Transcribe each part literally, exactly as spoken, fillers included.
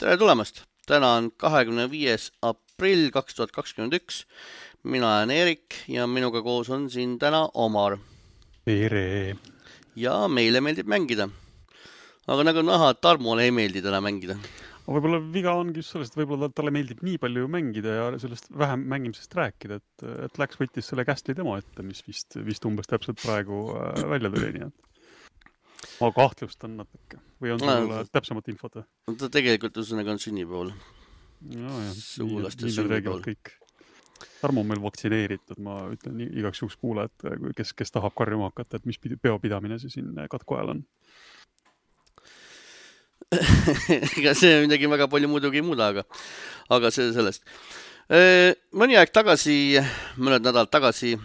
Tere tulemast! Täna on kahekümne viies aprill kaks tuhat kakskümmend üks. Mina olen Erik ja minuga koos on siin täna Omar. Tere! Ja meile meeldib mängida. Aga nagu näha, Tarmole ei meeldi täna mängida. Võib-olla viga ongi just sellest, võib-olla talle meeldib nii palju mängida ja sellest vähem mängimisest rääkida, et, et läks võttis selle Castli demo ette, mis vist, vist umbes täpselt praegu äh, välja tuli, nii et ma kahtlustan natuke. Või on sul no, täpsemat infot? Ta tegelikult üsõnaga on sünnipäeval. No jah, Sugulaste nii, nii need räägivad kõik. Tarmo on meil vaktsineeritud, ma ütlen igaks juhuks kuule, et kes, kes tahab karjuma hakata, et mis peopidamine see siin katku ajal on. Ega see midagi väga palju muidugi ei muuda, aga, aga see sellest. Mõni aeg tagasi, mõned nädalad tagasi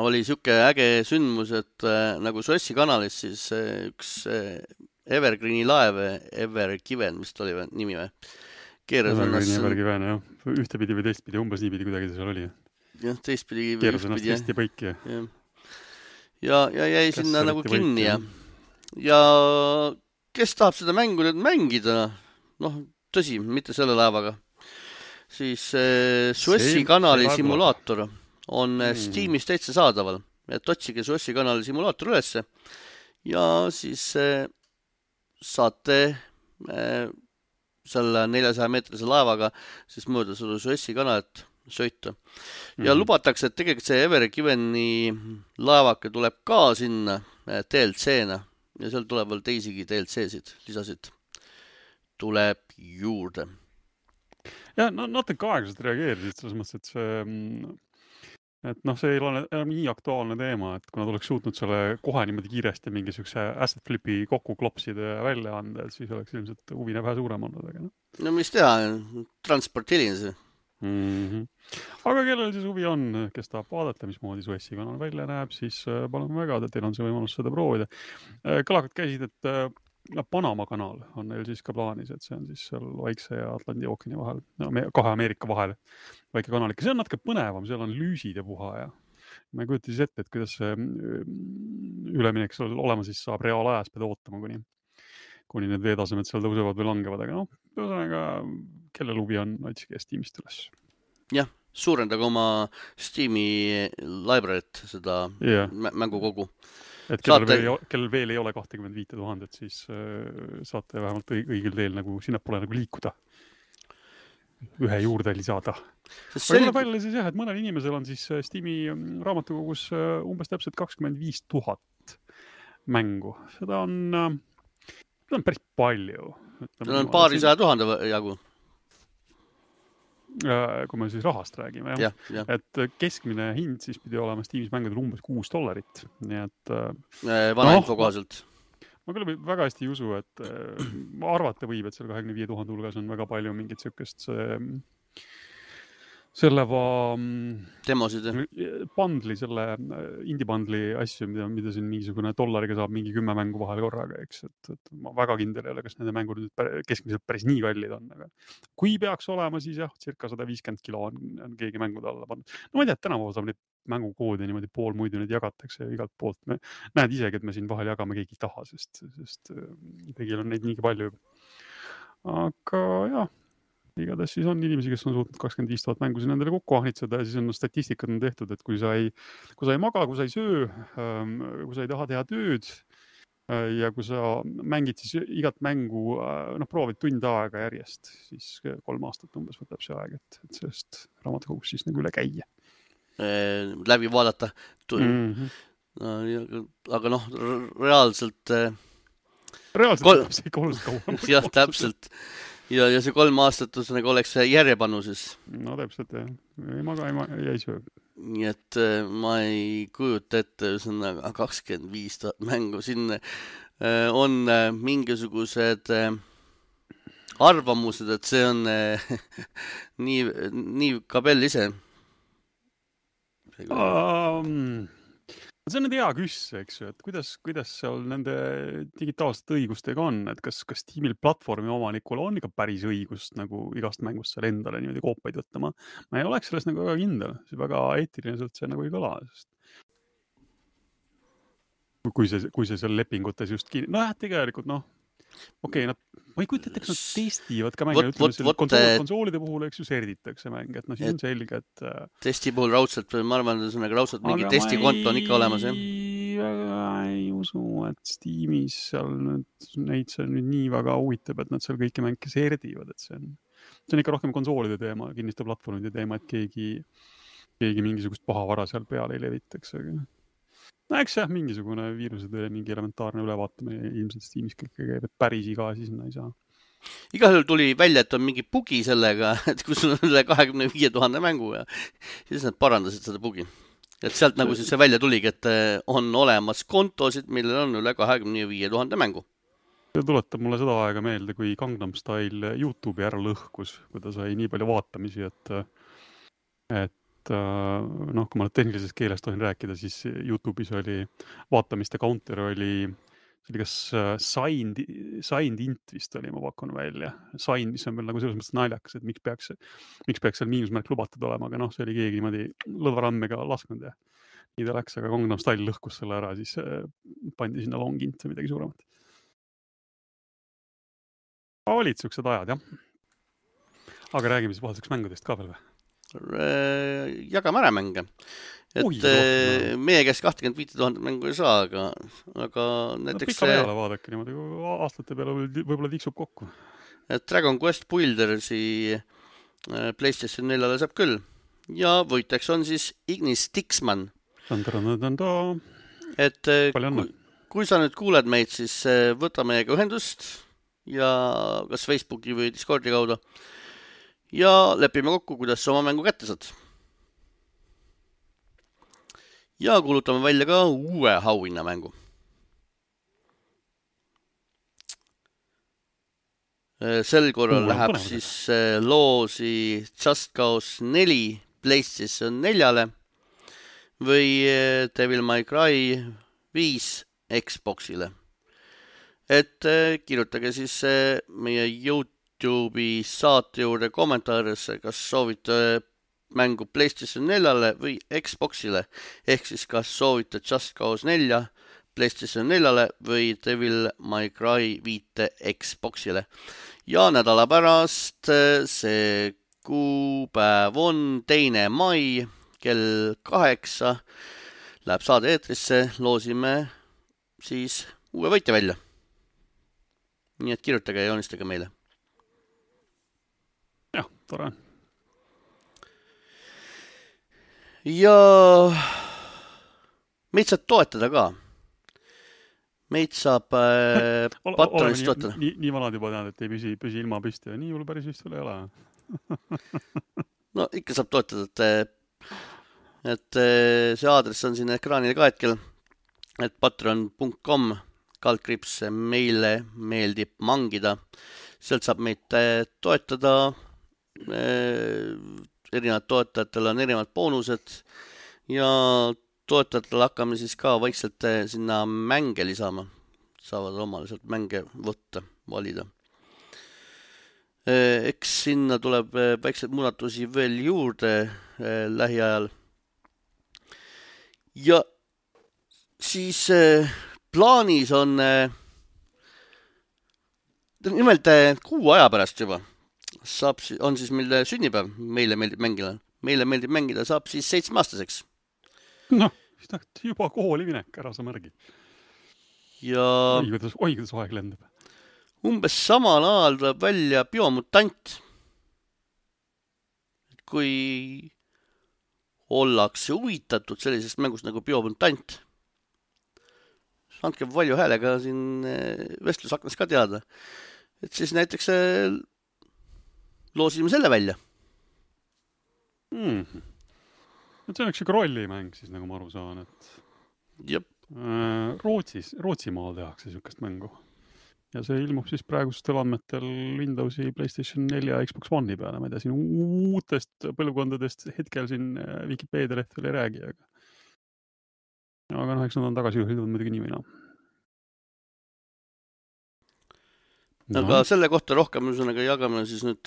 oli siuke äge sündmus, et äh, nagu Suessi kanalis siis äh, üks äh, Evergreeni laev, Evergiven, mis ta oli või, nimi või? Keeras ennast... Evergiven, jah. Ühtepidi või teistpidi, umbes niipidi kuidagi see seal oli. Jah, teistpidi või Keeras ennast hästi põiki. Ja, ja, ja jäi kes sinna nagu kinni ja, ja kes tahab seda mängu nüüd mängida? Noh, tõsi, mitte selle laevaga. Siis äh, Suessi kanali simulaator on mm. Steamis täitsa saadaval, et otsige Suessi kanali simulaator ülesse ja siis äh, saate äh, selle neljasaja meetrise laevaga siis mööda seda Suessi kanalit sõita. Ja mm. lubatakse, et tegelikult see Evergiveni laevake tuleb ka sinna äh, D L C-na ja seal tuleb veel teisigi D L C-sid, lisasid tuleb juurde. Ja no, natuke aeglaselt reageerisid selles mõttes, et see et noh, see ei ole enam nii aktuaalne teema, et kui nad oleks suutnud selle kohe niimoodi kiiresti mingisuguse asset flipi kokku klopsida ja välja anda, et siis oleks ilmselt huvine vähe suurem olnud. Aga, no. no mis teha, transport hilines. Mm-hmm. Aga kellel siis huvi on, kes tahab vaadata, mismoodi Suessi kanal välja näeb, siis palun väga, et teil on see võimalus seda proovida. Kõlakad käisid, et Panama kanal on neil siis ka plaanis, et see on siis seal Vaikse ja Atlandi ookeani vahel, no, kahe Ameerika vahel väike kanalik. See on natuke põnevam, seal on lüüsid ja puha ja ma ei kujuta siis ette, et kuidas see üleminek seal olema siis saab reaalajas pead ootama, kuni, kuni need veetasemed seal tõusevad või langevad, aga noh, ühesõnaga, kellel huvi on, otsige Steamist üles. Jah, suurendaga oma Steam'i library't seda yeah. mängukogu. Et kellel, saate... veel, kellel veel ei ole kakskümmend viis tuhat, siis äh, saate vähemalt õigel teel nagu sinna pole nagu liikuda. Ühe juurde lisada. Aga selle välja siis jah, et mõnel inimesel on siis Steam'i raamatukogus umbes täpselt kakskümmend viis tuhat mängu. Seda on, seda on päris palju. Seda on paari saja tuhande jagu. Kui me siis rahast räägime, ja, ja. et keskmine hind siis pidi olema Steamis mängudel umbes kuus dollarit. Nii et... Vana info kohaselt. Ma küll väga hästi ei usu, et arvata võib, et seal kahekümne viie tuhande hulgas on väga palju mingit sükest selle va... Demosid, Bundli, selle indie-bundli asju, mida, mida siin mingisugune dollariga saab mingi kümme mängu vahel korraga, eks. Et, et ma väga kindel ei ole, kas nende mängud nüüd keskmiselt päris nii kallid on. Aga kui peaks olema, siis jah, circa sada viiskümmend kilo on, on keegi mängude alla pannud. No ma ei tea, et tänapäeval saab neid mängukoodi niimoodi pool muidu neid jagatakse igalt poolt. Me näed isegi, et me siin vahel jagame keegi taha, sest, sest kõigil on neid nii palju. Aga jah. Igatahes siis on inimesi, kes on suutnud kakskümmend viis tuhat mängu siin endale kokku ahnitseda ja siis on statistikad on tehtud, et kui sa ei, kui sa ei maga, kui sa ei söö, kui sa ei taha teha tööd ja kui sa mängid siis igat mängu, noh, proovid tund aega järjest, siis kolm aastat umbes võtab see aeg, et, et sellest raamatukogus siis nagu üle käia. Läbi vaadata. Mm-hmm. No, aga noh, reaalselt... Reaalselt kol... see ikka oluliselt kauem. Jah, täpselt. Ja, ja see kolm aastat nagu oleks järjepanu siis. No täpselt, jah. Ei maga, ei, ma, ei söö. Nii et ma ei kujuta ette kakskümmend viis tuhat mängu. Siin on mingisugused arvamused, et see on nii, nii kabel ise. Um... See on nüüd hea küss, eks ju, et kuidas, kuidas seal nende digitaalsete õigustega on, et kas, kas Steamil platvormi omanikul on ikka päris õigust nagu igast mängust seal endale niimoodi koopaid võtta. Ma, ma ei oleks sellest nagu väga kindel, see väga eetiliselt see nagu ei kõla, sest kui see, kui see seal lepingutes just kinni, no jah, tegelikult noh, okei, nad, ma ei kujuta ette, eks nad testivad ka Võt, mänge, võt, ütleme, võt, konsool, konsoolide puhul, eks ju, serditakse mänge, et no siis et, on selge, et testi puhul raudselt, ma arvan, et raudselt mingi aga testikonto on ikka olemas, jah. väga ei usu, et Steamis seal nüüd, neid see nüüd nii väga huvitab, et nad seal kõiki mänge serdivad, et see on, see on ikka rohkem konsoolide teema, kinniste platvormide teema, et keegi, keegi mingisugust pahavara seal peale ei levitaks, aga no eks jah, mingisugune viirusede mingi elementaarne ülevaatamine ilmselt Steamis kõik käib, et päris iga asi sinna ei saa. Igal juhul tuli välja, et on mingi bugi sellega, et kus on üle kahekümne viie tuhande mängu ja siis nad parandasid seda bugi. Et sealt nagu siis see välja tuligi, et on olemas kontosid, millel on üle kahekümne viie tuhande mängu. See tuletab mulle seda aega meelde, kui Gangnam Style YouTube'i ära lõhkus, kui ta sai nii palju vaatamisi, et, et noh, kui ma tehnilises keeles tohin rääkida, siis YouTube'is oli vaatamiste counter oli see oli kas signed, signed int vist oli, ma pakun välja. Sign, mis on veel nagu selles mõttes naljakas, et miks peaks, miks peaks seal miinusmärk lubatud olema, aga noh, see oli keegi niimoodi lõdvarammega lasknud ja nii ta läks, aga Gangnam Style lõhkus selle ära, siis pandi sinna long int või midagi suuremat. Olid siuksed ajad, jah. Aga räägime siis vahetuseks mängudest ka veel või? Jagame ära mänge. Et Oi, meie käes kakskümmend viis tuhat mängu ei saa, aga, aga näiteks... Pika peale vaadake niimoodi, aastate peale võib-olla tiksub kokku. Et Dragon Quest Buildersi PlayStation neljale saab küll. Ja võiteks on siis Ignis Dixman. Et kui, kui sa nüüd kuuled meid, siis võta meiega ühendust ja kas Facebooki või Discordi kaudu ja lepime kokku, kuidas sa oma mängu kätte saad. Ja kuulutame välja ka uue auhinna mängu. Sel korral Uue, läheb põnev. Siis loosi Just Cause neli PlayStation neljale või Devil May Cry viis Xboxile. Et kirjutage siis meie YouTube'i saate juurde kommentaarisse, kas soovite mängu PlayStation neljale või Xboxile, ehk siis kas soovite Just Cause nelja PlayStation neljale või Devil May Cry viite Xboxile. Ja nädala pärast see kuupäev on teine mai kell kaheksa läheb saade eetrisse, loosime siis uue võitja välja. Nii et kirjutage ja joonistage meile. jah, tore. Ja meid saab toetada ka. Meid saab äh, Patronist toetada. Nii, nii vanad juba tead, et ei püsi, püsi ilma püsti ja nii hull päris vist veel ei ole. No ikka saab toetada, et, et see aadress on siin ekraanil ka hetkel, et patreon punkt com kaldkriips meile meeldib mangida. Sealt saab meid toetada. Erinevad toetajatel on erinevad boonused ja toetajatel hakkame siis ka vaikselt sinna mänge lisama. Saavad omale sealt mänge võtta, valida. Eks sinna tuleb väikseid muudatusi veel juurde lähiajal. Ja siis plaanis on nimelt kuu aja pärast juba. Saab, on siis meil sünnipäev, meile meeldib mängida. Meile meeldib mängida, saab siis seitsmeaastaseks. Noh, juba kooli minek ära sa märgi. Ja oi, kuidas, oi, kuidas aeg lendab. Umbes samal ajal tuleb välja Biomutant. Kui ollakse huvitatud sellisest mängust nagu Biomutant, andke palju häälega siin vestlusaknas ka teada. Et siis näiteks loosime selle välja. Hmm. Et see on üks siuke rollimäng siis, nagu ma aru saan, et Jep. Rootsis, Rootsimaal tehakse siukest mängu. Ja see ilmub siis praegustel andmetel Windowsi, PlayStation nelja ja Xbox One'i peale. Ma ei tea, siin uutest põlvkondadest hetkel siin Wikipedia leht veel ei räägi, aga aga noh, eks nad on tagasi juhildud muidugi nii või naa. No. Aga selle kohta rohkem üsõnaga jagame siis nüüd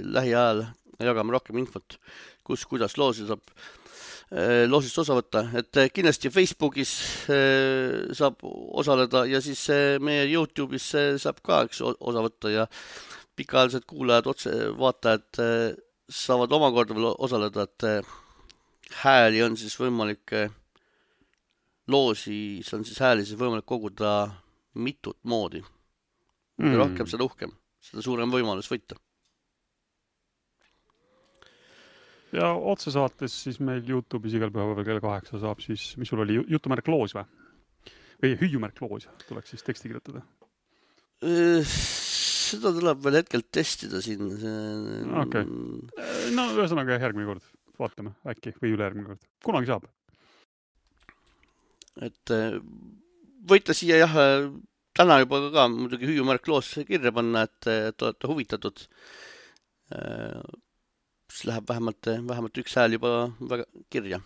lähiajal, jagame rohkem infot, kus, kuidas loosi saab. loosist osa võtta, et kindlasti Facebookis saab osaleda ja siis meie YouTube'is saab ka üks osa võtta ja pikaajalised kuulajad, otse vaatajad saavad omakorda veel osaleda, et hääli on siis võimalik, loosi, see on siis hääli siis võimalik koguda mitut moodi. Mm. Rohkem seda uhkem, seda suurem võimalus võita. Ja otsesaates siis meil YouTube'is igal päeval kell kaheksa saab siis, mis sul oli, jutumärk loos või? Või hüüumärk loos, tuleks siis teksti kirjutada? Seda tuleb veel hetkel testida siin. Okay. No ühesõnaga järgmine kord vaatame äkki või üle järgmine kord. Kunagi saab? Et võite siia jah, täna juba ka muidugi hüüumärk loos kirja panna, et, et olete huvitatud. Siis läheb vähemalt, vähemalt üks hääl juba väga kirja.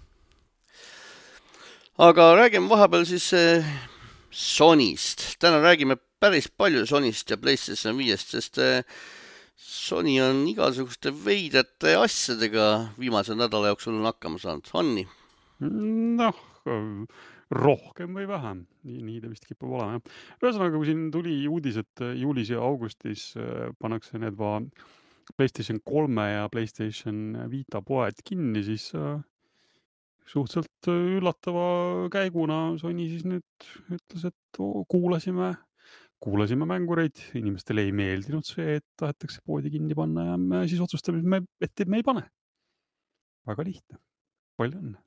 Aga räägime vahepeal siis Sonyst. Täna räägime päris palju Sonyst ja PlayStation viiest, sest Sony on igasuguste veidete asjadega viimase nädala jooksul on hakkama saanud. On nii? Noh, rohkem või vähem. Nii, nii ta vist kipub olema. Ühesõnaga, kui siin tuli uudis, et juulis ja augustis pannakse need va PlayStation kolme ja PlayStation Vita poed kinni, siis äh, suhteliselt üllatava käiguna Sony siis nüüd ütles, et oh, kuulasime, kuulasime mängureid, inimestele ei meeldinud see, et tahetakse poodi kinni panna ja me siis otsustame, et me, et me ei pane. Väga lihtne. Palju õnne.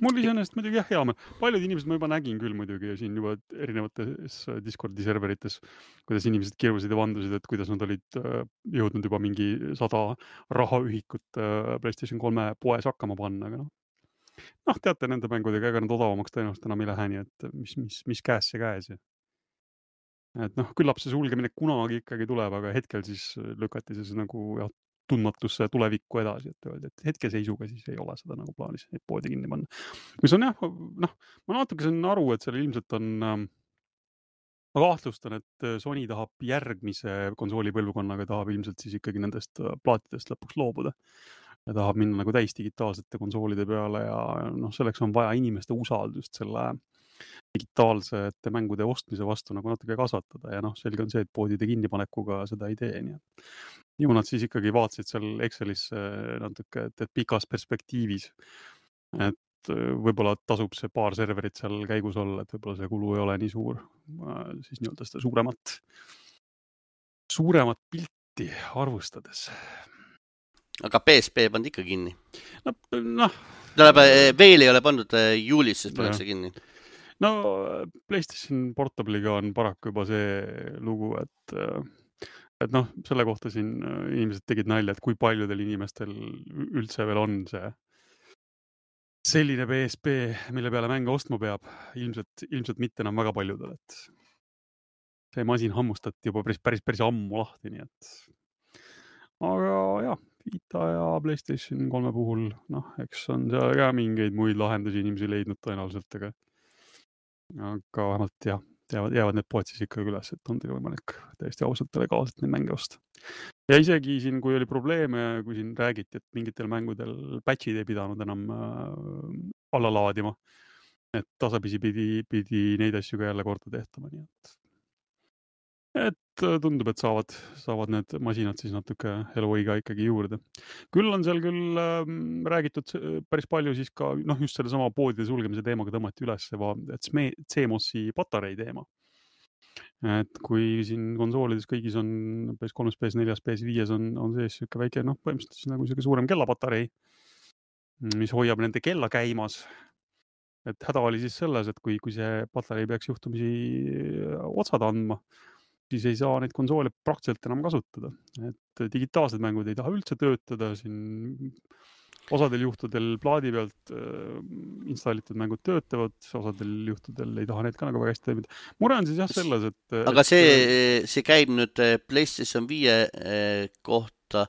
Mul iseenesest muidugi jah, hea. Paljud inimesed ma juba nägin küll muidugi ja siin juba erinevates Discordi serverites, kuidas inimesed kirjusid ja vandusid, et kuidas nad olid jõudnud juba mingi sada rahaühikut PlayStation kolme poes hakkama panna. Aga noh, noh, teate nende mängudega, ega nad odavamaks tõenäoliselt enam ei lähe nii, et mis, mis, mis käes see käes. Et noh, küllap see sulgemine kunagi ikkagi tuleb, aga hetkel siis lükati see nagu jah, tundmatusse tulevikku edasi, et öelda, et hetkeseisuga siis ei ole seda nagu plaanis, et poodi kinni panna. Mis on jah, noh, ma natuke saan aru, et seal ilmselt on, ma kahtlustan, et Sony tahab järgmise konsooli põlvkonnaga, tahab ilmselt siis ikkagi nendest plaatidest lõpuks loobuda. Ja tahab minna nagu täis digitaalsete konsoolide peale ja noh, selleks on vaja inimeste usaldust selle digitaalsete mängude ostmise vastu nagu natuke kasvatada ja noh, selge on see, et poodide kinnipanekuga seda ei tee, nii et ju nad siis ikkagi vaatasid seal Excelis natuke, et, et pikas perspektiivis, et võib-olla tasub see paar serverit seal käigus olla, et võib-olla see kulu ei ole nii suur, siis nii-öelda seda suuremat, suuremat pilti arvustades. Aga P S P pandi ikka kinni? No, noh. Tähendab, veel ei ole pandud juulis, sest pannakse kinni. No PlayStation Portable'iga on paraku juba see lugu, et et noh, selle kohta siin inimesed tegid nalja, et kui paljudel inimestel üldse veel on see selline P S P, mille peale mänge ostma peab, ilmselt, ilmselt mitte enam väga paljudel, et see masin hammustati juba päris, päris, päris ammu lahti, nii et aga jah, Vita ja PlayStation kolme puhul, noh, eks on seal ka mingeid muid lahendusi inimesi leidnud tõenäoliselt, aga aga vähemalt jah, jäävad, jäävad need poed siis ikkagi üles, et on teil võimalik täiesti ausalt ja legaalselt neid mänge osta. Ja isegi siin, kui oli probleeme, kui siin räägiti, et mingitel mängudel patchid ei pidanud enam äh, alla laadima, et tasapisi pidi, pidi neid asju ka jälle korda tehtama, nii et et tundub, et saavad, saavad need masinad siis natuke eluiga ikkagi juurde. Küll on seal küll äh, räägitud päris palju siis ka, noh just selle sama poodide sulgemise teemaga tõmmati üles, et C M O S-i patarei teema. Et kui siin konsoolides kõigis on P S kolm, P S neli, P S viis on, on sees siuke väike, noh põhimõtteliselt nagu siuke suurem kellapatarei, mis hoiab nende kella käimas. Et häda oli siis selles, et kui, kui see patarei peaks juhtumisi otsad andma, siis ei saa neid konsoole praktiliselt enam kasutada. Et digitaalsed mängud ei taha üldse töötada, siin osadel juhtudel plaadi pealt äh, installitud mängud töötavad, osadel juhtudel ei taha need ka nagu väga hästi toimida. Mure on siis jah selles, et... Aga see, see käib nüüd PlayStation viie kohta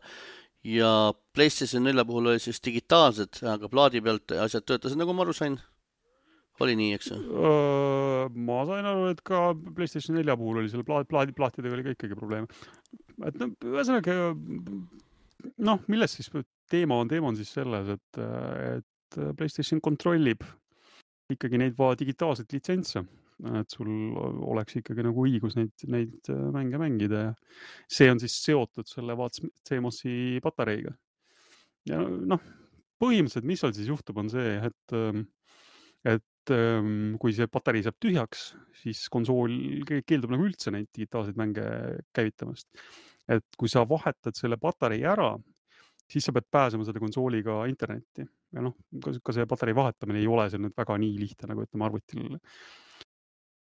ja PlayStation neli puhul oli siis digitaalsed, aga plaadi pealt asjad töötasid, nagu ma aru sain. Oli nii, eks? Ma sain aru, et ka PlayStation neli puhul oli selle plaadi, plaadi, plaatidega oli ka ikkagi probleeme. Et no, ühesõnaga, noh, milles siis teema on, teema on siis selles, et, et PlayStation kontrollib ikkagi neid va digitaalseid litsentse, et sul oleks ikkagi nagu õigus neid, neid mänge mängida ja see on siis seotud selle vaat C M O S-i patareiga. Ja noh, põhimõtteliselt, mis seal siis juhtub, on see, et, et kui see patarei saab tühjaks, siis konsool keeldub nagu üldse neid digitaalseid mänge käivitamast. Et kui sa vahetad selle patarei ära, siis sa pead pääsema selle konsooliga internetti. Ja noh, ka see patarei vahetamine ei ole see nüüd väga nii lihtne, nagu ütleme arvutil.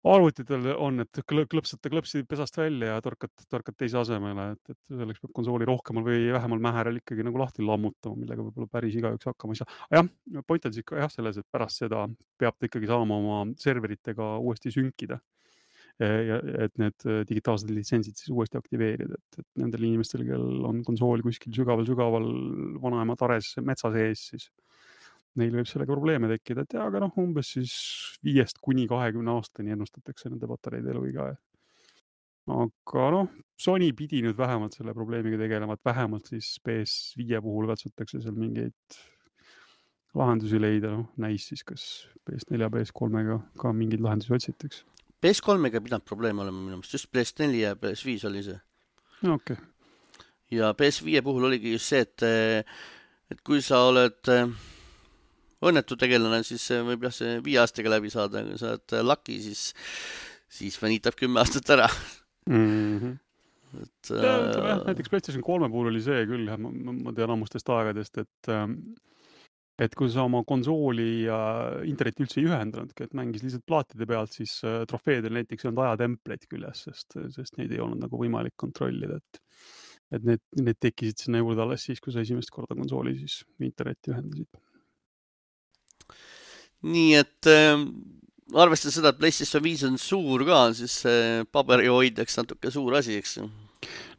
Arvutitel on, et klõpsate klõpsi pesast välja ja torkad, torkad teise asemele, et, et selleks peab konsooli rohkemal või vähemal mäherel ikkagi nagu lahti lammutama, millega võib-olla päris igaüks hakkama ei saa. Jah, point on siis jah selles, et pärast seda peab ta ikkagi saama oma serveritega uuesti sünkida. Ja, et need digitaalsed litsentsid siis uuesti aktiveerida, et, et nendel inimestel, kel on konsool kuskil sügaval-sügaval vanaema tares metsa sees, siis neil võib sellega probleeme tekkida, et aga noh, umbes siis viiest kuni kahekümne aastani ennustatakse nende patareide eluiga. Aga noh, Sony pidi nüüd vähemalt selle probleemiga tegelema, et vähemalt siis P S viie puhul katsutakse seal mingeid lahendusi leida, noh, näis siis kas P S neli ja P S kolmega ka mingeid lahendusi otsitaks. P S kolmega pidanud probleem olema minu meelest, just P S neli ja P S viis oli see. Okay. Ja P S viie puhul oligi just see, et, et kui sa oled õnnetu tegelane, siis võib jah see viie aastaga läbi saada, kui sa oled laki, siis, siis venitab kümme aastat ära. Mm-hmm. Et, ja, ütleme, jah, näiteks PlayStation kolme puhul oli see küll, ma, ma tean ammustest aegadest, et, et kui sa oma konsooli ja interneti üldse ei ühendanudki, et mängis lihtsalt plaatide pealt, siis trofeedel näiteks on ajatempleid küljes, sest, sest neid ei olnud nagu võimalik kontrollida, et et need, need tekkisid sinna juurde alles siis, kui sa esimest korda konsooli siis internetti ühendasid. Nii et äh, arvestades seda, et PlayStation viis on suur ka, siis äh, paberi hoidjaks natuke suur asi, eks?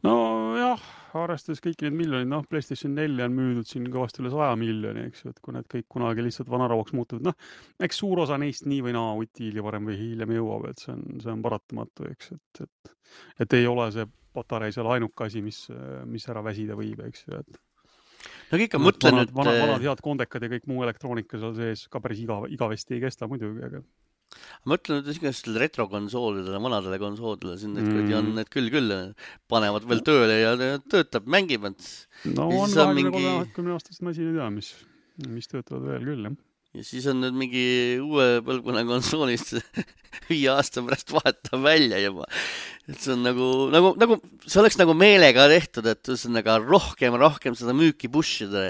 No jah, arvestades kõiki need miljonid, noh, PlayStation neli on müüdud siin kõvasti üle saja miljoni, eks ju, et kui need kõik kunagi lihtsalt vanarauaks muutuvad, noh, eks suur osa neist nii või naa utiili varem või hiljem jõuab, et see on, see on paratamatu, eks, et, et, et ei ole see patarei seal ainuke asi, mis, mis ära väsida võib, eks ju, et no ikka mõtlen vanad, nüüd... Vanad, vanad head kondekad ja kõik muu elektroonika seal sees ka päris iga, igavesti ei kesta muidugi, aga... Mõtlen nüüd igastel retrokonsoolidele, vanadele konsoolidele, siin need mm. on need küll küll, panevad veel tööle ja töötab, mängivad. No on kahekümne kolme aastast masin ei tea, mis, mis töötavad veel küll, jah. Ja siis on nüüd mingi uue põlvkonna konsoolist viie aasta pärast vahetab välja juba. Et see on nagu, nagu, nagu, see oleks nagu meelega tehtud, et see on nagu rohkem, rohkem seda müüki pushida.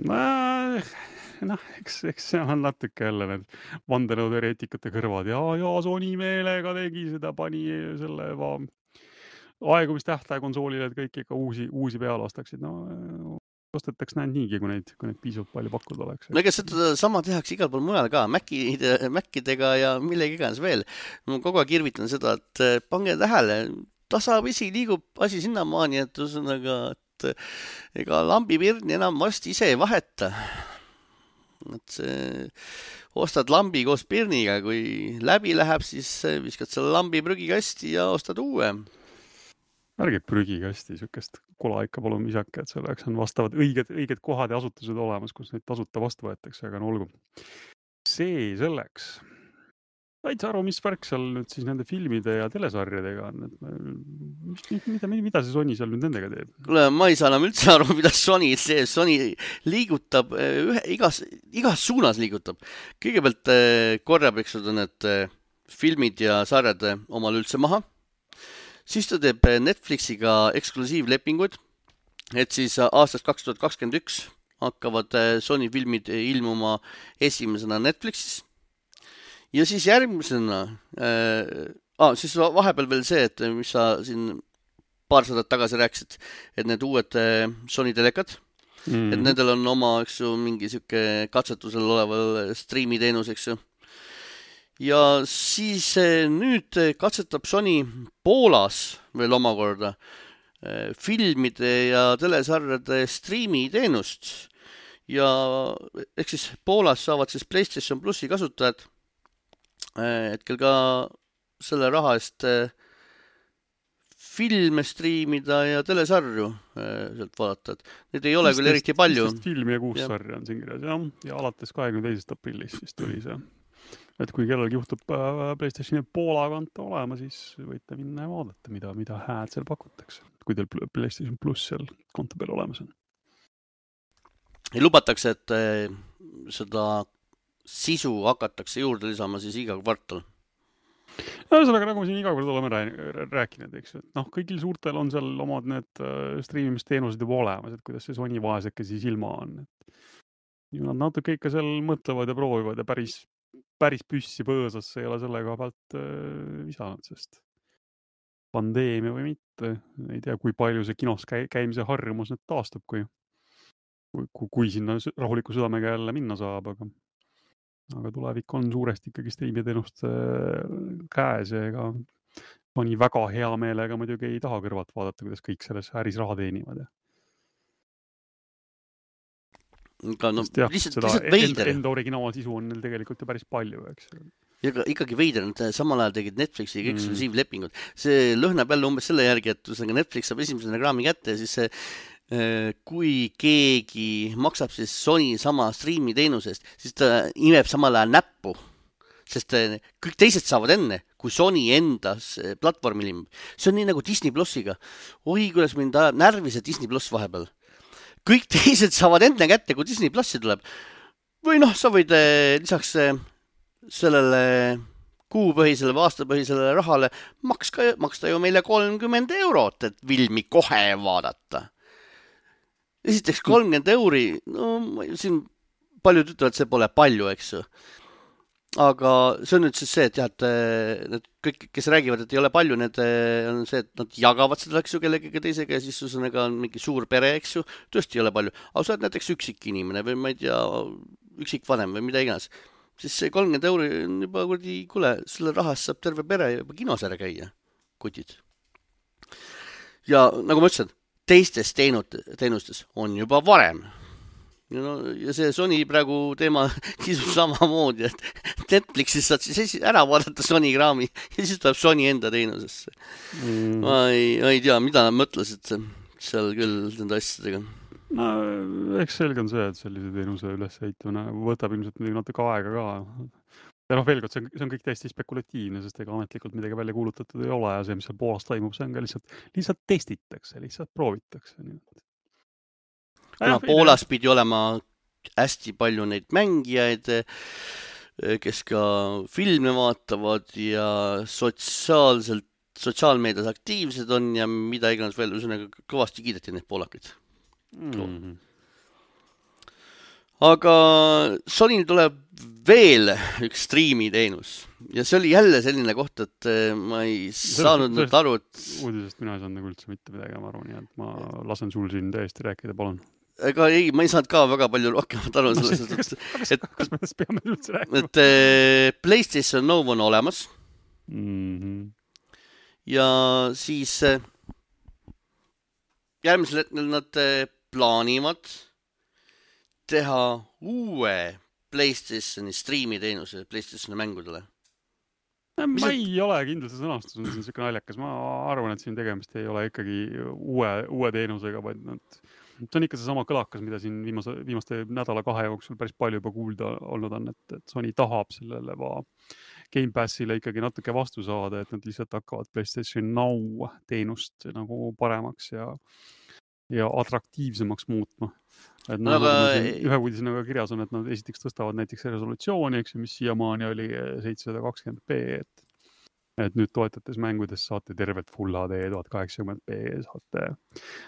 Noh, eks, eks see on natuke jälle need vandenõuteoreetikute kõrvad. Ja, ja Sony meelega tegi seda, pani selle va... aegumistähtaja konsoolile, et kõik ikka uusi, uusi peale ostaksid. No, ostetaks näed niigi, kui neid, kui neid piisavalt palju pakkuda oleks. No ega seda sama tehakse igal pool mujal ka, Macide, Macidega ja millegi iganes veel. Ma kogu aeg irvitan seda, et pange tähele, tasapisi liigub asi sinnamaani, et ühesõnaga, et ega lambipirni enam vast ise ei vaheta. Et see, ostad lambi koos pirniga, kui läbi läheb, siis viskad selle lambi prügikasti ja ostad uue. Ärge prügikasti, sükest kola ikka palun misake, et selleks on vastavad õiged, õiged kohad ja asutused olemas, kus neid tasuta vastu võetakse, aga no olgu. See selleks. Said sa aru, mis värk seal nüüd siis nende filmide ja telesarjadega on? Et mida, mida see Sony seal nüüd nendega teeb? Kuule, ma ei saa enam üldse aru, mida Sony teeb. Sony liigutab, ühe, igas, igas suunas liigutab. Kõigepealt korjab, eks seda need filmid ja sarjad omal üldse maha. Siis ta teeb Netflixiga eksklusiivlepingud, et siis aastast kaks tuhat kakskümmend üks hakkavad Sony filmid ilmuma esimesena Netflixis. Ja siis järgmisena, äh, ah, siis vahepeal veel see, et mis sa siin paar sadat tagasi rääkisid, et need uued äh, Sony telekad, mm. et nendel on oma, eks ju, mingi siuke katsetusel oleval striimiteenus, eks ju. Ja siis äh, nüüd katsetab Sony Poolas veel omakorda äh, filmide ja telesarjade striimiteenust. Ja ehk siis Poolas saavad siis PlayStation Plussi kasutajad hetkel ka selle raha eest filme striimida ja telesarju sealt vaadata, et need ei ole küll eriti palju. viisteist filmi ja kuus ja. sarja on siin kirjas, jah, ja alates kahekümne teisest aprillist siis tuli see. Et kui kellelgi juhtub PlayStationi Poola konto olema, siis võite minna ja vaadata, mida, mida hääd seal pakutakse, kui teil PlayStation Plus seal konto peal olemas on. Ja lubatakse, et seda sisu hakatakse juurde lisama siis iga kvartal. Ühesõnaga, nagu me siin iga kord oleme rääkinud, eks, et noh, kõigil suurtel on seal omad need striimimisteenused juba olemas, et kuidas see Sony vaeseke siis ilma on. Et nad natuke ikka seal mõtlevad ja proovivad ja päris päris püssi põõsasse ei ole selle koha pealt äh, visanud, sest pandeemia või mitte, ei tea, kui palju see kinos käi- käimise harjumus nüüd taastub, kui, kui, kui sinna rahuliku südamega jälle minna saab, aga, aga tulevik on suuresti ikkagi striimiteenust käes ja ega mõni väga hea meelega muidugi ei taha kõrvalt vaadata, kuidas kõik selles äris raha teenivad. Ka, no, jah, lihtsalt, seda lihtsalt veider. Enda originaalsisu on neil tegelikult ju päris palju, eks. Ja ikkagi veider, nad samal ajal tegid Netflixiga mm. eksklusiivlepingud. See lõhnab jälle umbes selle järgi, et Netflix saab esimese reklaami kätte ja siis see, kui keegi maksab siis Sony sama striimi teenusest, siis ta imeb samal ajal näppu. Sest kõik teised saavad enne, kui Sony endas platvormil imeb. See on nii nagu Disney Plussiga. Oi, kuidas mind ajab närvi see Disney Plus vahepeal. Kõik teised saavad enne kätte, kui Disney Plussi tuleb. Või noh, sa võid lisaks sellele kuupõhisele või aastapõhisele rahale makska, maksta ju meile kolmkümmend eurot, et filmi kohe vaadata. Esiteks kolmkümmend euri, no siin paljud ütlevad, et see pole palju, eks ju. Aga see on nüüd siis see, et jah, et need kõik, kes räägivad, et ei ole palju, need on see, et nad jagavad seda, eks ju, kellegagi teisega ja siis susõnaga on mingi suur pere, eks ju, tõesti ei ole palju. Aga sa oled näiteks üksik inimene või ma ei tea, üksik vanem või mida iganes. Siis see kolmkümmend euri on juba kurdi, kuule, selle rahast saab terve pere juba kinos ära käia, kutid. Ja nagu ma ütlesin, teistes teenustes on juba varem. Ja, no, ja see Sony praegu teema kisub samamoodi, et Netflixis saad siis ära vaadata Sony kraami ja siis tuleb Sony enda teenusesse. Mm. Ma ei, ei tea, mida nad mõtlesid seal küll nende asjadega. No, eks selge on see, et sellise teenuse ülesehitamine võtab ilmselt natuke aega ka. Ja noh, veel kord, see on, see on kõik täiesti spekulatiivne, sest ega ametlikult midagi välja kuulutatud ei ole ja see, mis seal Poolas toimub, see on ka lihtsalt, lihtsalt testitakse, lihtsalt proovitakse. Nii. Kuna Poolas pidi olema hästi palju neid mängijaid, kes ka filme vaatavad ja sotsiaalselt, sotsiaalmeedias aktiivsed on ja mida iganes veel, üsõnaga kõvasti kiideti neid poolakaid. Mm-hmm. Aga Sonyl tuleb veel üks striimiteenus ja see oli jälle selline koht, et ma ei saanud nüüd aru, et... Uudisest mina ei saanud nagu üldse mitte midagi, ma arvan, et ma lasen sul siin täiesti rääkida, palun. Ega ei, ma ei saanud ka väga palju rohkemat aru no, sellest, kas, kas, et, kas me täst peame üldse rääkima? Et äh, PlayStation Now on olemas mm-hmm. ja siis äh, järgmisel hetkel nad äh, plaanivad teha uue PlayStationi striimiteenuse PlayStationi mängudele. Ma ei ole kindlasti sõnastus, on siin selline naljakas. Ma arvan, et siin tegemist ei ole ikkagi uue, uue teenusega, vaid nad see on ikka see sama kõlakas, mida siin viimase, viimaste nädala kahe jooksul päris palju juba kuulda olnud on, et, et Sony tahab sellele va Game Passile ikkagi natuke vastu saada, et nad lihtsalt hakkavad PlayStation Now teenust nagu paremaks ja, ja atraktiivsemaks muutma. Et no, aga... ühe uudisena ka kirjas on, et nad esiteks tõstavad näiteks resolutsiooni, eks, mis siiamaani oli seitsesada kakskümmend p, et et nüüd toetates mängudes saate tervet Full H D tuhat kaheksakümmend p saate,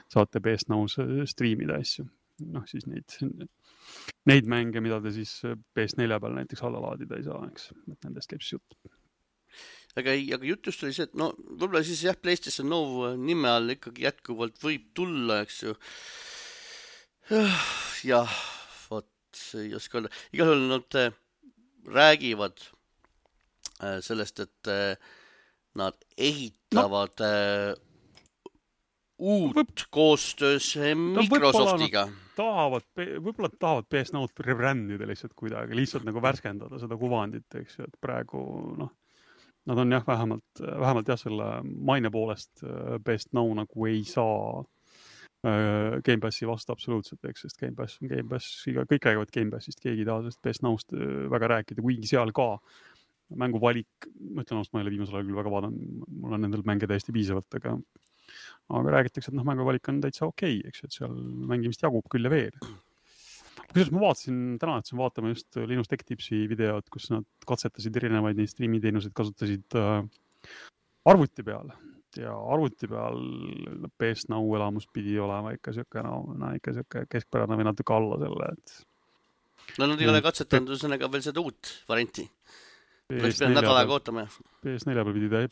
saate P S Now-s striimida asju. Noh, siis neid, neid mänge, mida te siis P S neli peal näiteks alla laadida ei saa, eks. Et nendest käib siis jutt. Aga, aga jutust oli see, et no võib-olla siis jah, PlayStation Now nime all ikkagi jätkuvalt võib tulla, eks ju. Jah, vot ei oska öelda. Igal juhul nad räägivad sellest, et nad ehitavad no. uut Võp... koostöös Microsoftiga. No, tahavad, võib-olla tahavad P S Now-t rebrändida lihtsalt kuidagi, lihtsalt nagu värskendada seda kuvandit, eks ju, et praegu noh, nad on jah, vähemalt, vähemalt jah, selle maine poolest Best Now nagu ei saa Game Passi vastu absoluutselt, eks, sest Game Pass on Game Pass, kõik räägivad Game Passist, keegi ei taha sellest Best Now'st väga rääkida, kuigi seal ka mänguvalik, ma ütlen ausalt, ma ei ole viimasel ajal küll väga vaadanud, mul on nendel mänge täiesti piisavalt, aga, aga räägitakse, et noh, mänguvalik on täitsa okei, eks, et seal mängimist jagub küll ja veel. Kusjuures ma vaatasin, täna ütlesin vaatama just Linus Tech Tipsi videot, kus nad katsetasid erinevaid neid streamiteenuseid, kasutasid äh, arvuti peal. Ja arvuti peal Best Now elamus pidi olema ikka siuke, no, no ikka siuke keskpärane või natuke alla selle, et... No nad ei ole katsetanud ühesõnaga veel seda uut varianti. Oleks pidanud nädal aega ootama. P S neli peal pidi ta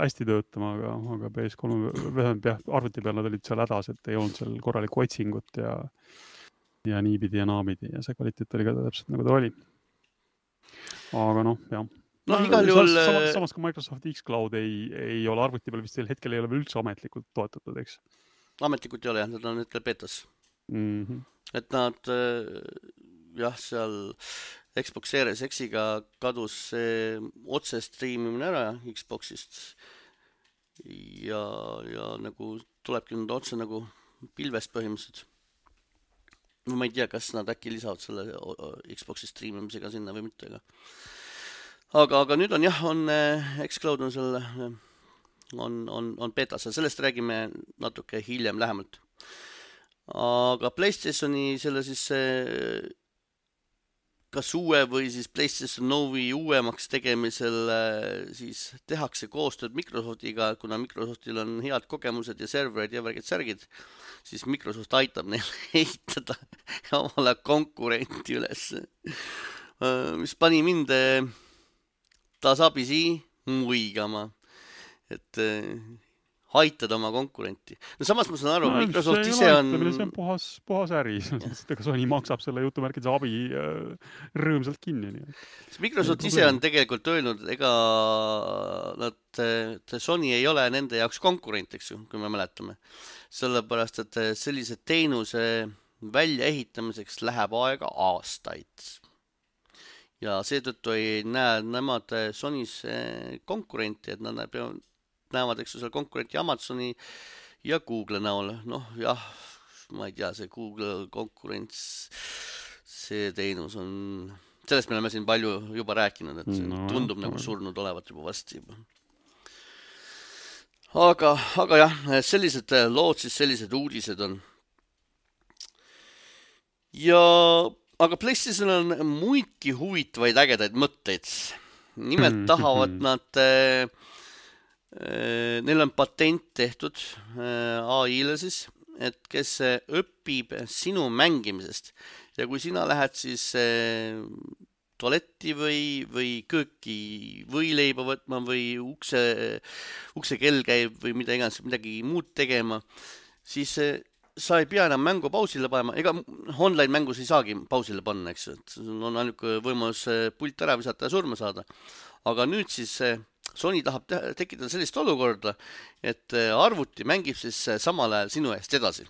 hästi töötama, aga, aga P S kolm arvuti peal nad olid seal hädas, et ei olnud seal korralikku otsingut ja, ja niipidi ja naapidi ja see kvaliteet oli ka täpselt nagu ta oli. Aga noh, jah. No, no igal juhul... Samas, samas ka Microsoft Xcloud ei, ei ole arvuti peal vist hetkel ei ole veel üldse ametlikult toetatud, eks? Ametlikult ei ole, jah, nad on hetkel betas. Mm-hmm. Et nad, jah, seal Xbox Series X-iga kadus see otse streamimine ära Xboxist ja, ja nagu tulebki nüüd otse nagu pilvest põhimõtteliselt. Ma ei tea, kas nad äkki lisavad selle Xboxi streamimisega sinna või mitte, aga Aga, aga nüüd on jah, on Xcloud on selle, on, on, on betas, sellest räägime natuke hiljem lähemalt. Aga PlayStationi selle siis kas uue või siis PlayStation Novi uuemaks tegemisel siis tehakse koostööd Microsoftiga, kuna Microsoftil on head kogemused ja serverid ja värgid särgid, siis Microsoft aitab neil ehitada omale konkurenti üles, mis pani mind tasapisi muigama, et äh, haitada oma konkurenti. No samas ma saan aru, no, Microsoft ise on... See on puhas, puhas äri, ega Sony maksab selle jutumärkide abi äh, rõõmsalt kinni. Nii. Microsoft ise on tegelikult öelnud, ega nad, Sony ei ole nende jaoks konkurent, eks ju, kui me mäletame. Sellepärast, et sellise teenuse väljaehitamiseks läheb aega aastaid. Ja seetõttu ei näe nemad Sonys konkurenti, et nad näevad, eks seal konkurenti Amazoni ja Google näol. Noh, jah, ma ei tea, see Google konkurents, see teenus on... Sellest me oleme siin palju juba rääkinud, et see no, tundub no, nagu no. surnud olevat juba vasti juba. Aga, aga jah, sellised lood, siis sellised uudised on. Ja... Aga PlayStation on muidki huvitavaid ägedaid mõtteid. Nimelt tahavad nad, äh, äh, neil on patent tehtud äh, A I-le siis, et kes õpib sinu mängimisest. Ja kui sina lähed siis äh, tualetti või, või kööki võileiba võtma või ukse, ukse kell käib või mida iganes, midagi muud tegema, siis äh, sa ei pea enam mängu pausile panema, ega online mängus ei saagi pausile panna, eks, et on ainult võimalus pult ära visata ja surma saada. Aga nüüd siis Sony tahab te- tekitada sellist olukorda, et arvuti mängib siis samal ajal sinu eest edasi.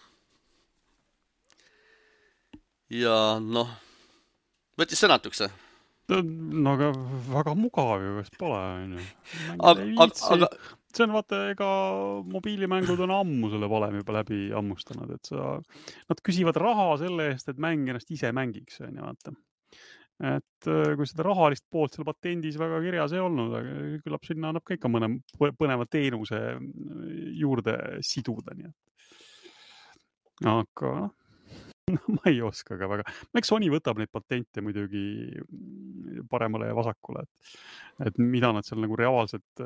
Ja noh, võttis sõnatuks. No aga väga mugav ju, kas pole, on ju. Aga, aga, see on vaata, ega mobiilimängud on ammu selle valemi juba läbi ammustanud, et sa, nad küsivad raha selle eest, et mäng ennast ise mängiks, on ju, vaata. Et kui seda rahalist poolt seal patendis väga kirjas ei olnud, aga küllap sinna annab ka ikka mõne põneva teenuse juurde siduda, nii et. Aga no, ma ei oska ka väga. Eks Sony võtab neid patente muidugi paremale ja vasakule, et, et mida nad seal nagu reaalselt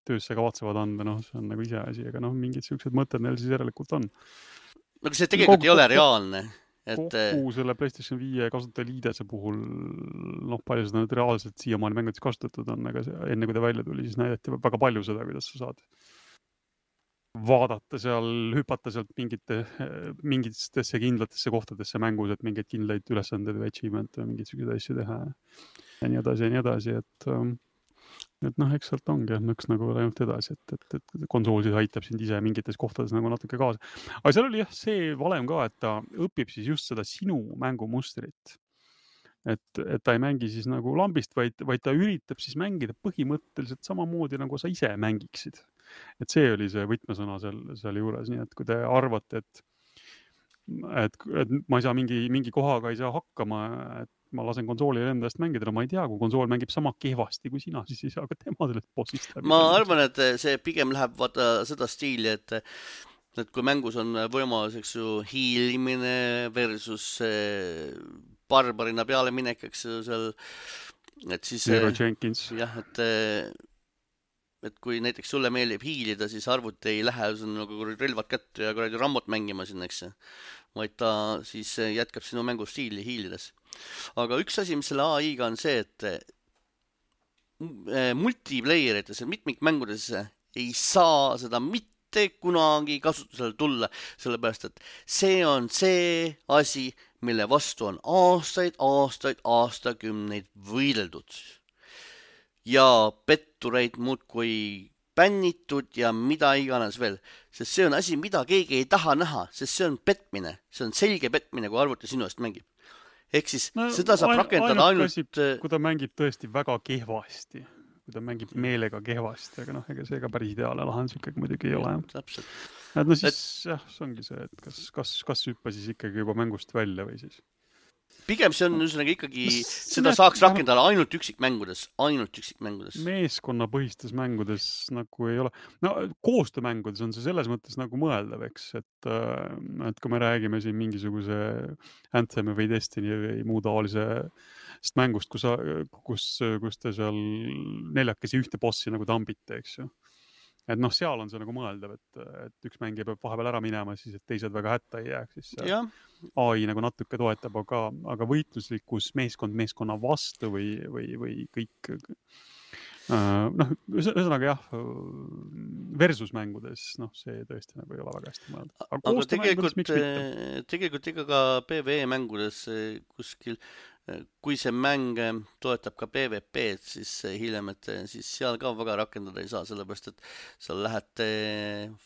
töösse kavatsevad anda, noh, see on nagu ise asi, aga noh, mingid sellised mõtted neil siis järelikult on. No see tegelikult kogu, ei ole reaalne. Et... Kogu selle PlayStation viie kasutajaliidese puhul, noh, palju seda nüüd reaalselt siiamaani mängudes kasutatud on, aga see, enne kui ta välja tuli, siis näidati väga palju seda, kuidas sa saad vaadata seal, hüpata sealt mingite, mingitesse kindlatesse kohtadesse mängus, et mingeid kindlaid ülesandeid või achievement või mingeid selliseid asju teha ja nii edasi ja nii edasi, et et noh, eks sealt ongi üks nagu ainult edasi, et, et, et konsool siis aitab sind ise mingites kohtades nagu natuke kaasa. Aga seal oli jah see valem ka, et ta õpib siis just seda sinu mängumustrit. et, et ta ei mängi siis nagu lambist, vaid, vaid ta üritab siis mängida põhimõtteliselt samamoodi, nagu sa ise mängiksid. Et see oli see võtmesõna seal, seal juures, nii et kui te arvate, et et, et ma ei saa mingi, mingi kohaga ei saa hakkama, et ma lasen konsoolil enda eest mängida, no ma ei tea, kui konsool mängib sama kehvasti kui sina, siis ei saa ka tema sellest bossist läbi. Ma arvan, et see pigem läheb vaata seda stiili, et et kui mängus on võimalus, eks ju, hiilimine versus barbarina peale minek, eks ju, seal, et siis Zero Jenkins. jah, et et kui näiteks sulle meeldib hiilida, siis arvuti ei lähe nagu relvad kätte ja kuradi rammot mängima sinna, eks ju, vaid ta siis jätkab sinu mängustiili hiilides. Aga üks asi, mis selle A I-ga on see, et multiplayerites ja mitmikmängudes ei saa seda mitte kunagi kasutusele tulla, sellepärast, et see on see asi, mille vastu on aastaid, aastaid, aastakümneid võideldud. Ja pettureid muudkui bännitud ja mida iganes veel. Sest see on asi, mida keegi ei taha näha, sest see on petmine. See on selge petmine, kui arvuti sinu eest mängib. Ehk siis no, seda saab ain, rakendada ainult... Käsib, kui ta mängib tõesti väga kehvasti, kui ta mängib meelega kehvasti, aga noh, ega see ka päris ideaalne lahendus ikkagi muidugi ei ole. Täpselt. Et no siis, et... jah, see ongi see, et kas, kas, kas hüppa siis ikkagi juba mängust välja või siis... Pigem see on üsnagi ikkagi, seda saaks rakendada ainult üksikmängudes, ainult üksikmängudes. Meeskonnapõhistes mängudes nagu ei ole. No koostöömängudes on see selles mõttes nagu mõeldav, eks, et, et kui me räägime siin mingisuguse Anthem või Destiny või muu taolisest mängust, kus, kus, kus te seal neljakesi ühte bossi nagu tambite, eks ju. Et noh, seal on see nagu mõeldav, et, et üks mängija peab vahepeal ära minema, siis et teised väga hätta ei jääks, siis see A I nagu natuke toetab, aga, aga võitluslikkus meeskond meeskonna vastu või, või, või kõik noh, ühesõnaga jah, versus mängudes, noh, see tõesti nagu ei ole väga hästi mõelda. Aga, aga tegelikult, tegelikult ikka ka PvE mängudes kuskil, kui see mäng toetab ka PvP-d, siis hiljem, et siis seal ka väga rakendada ei saa, sellepärast, et seal lähete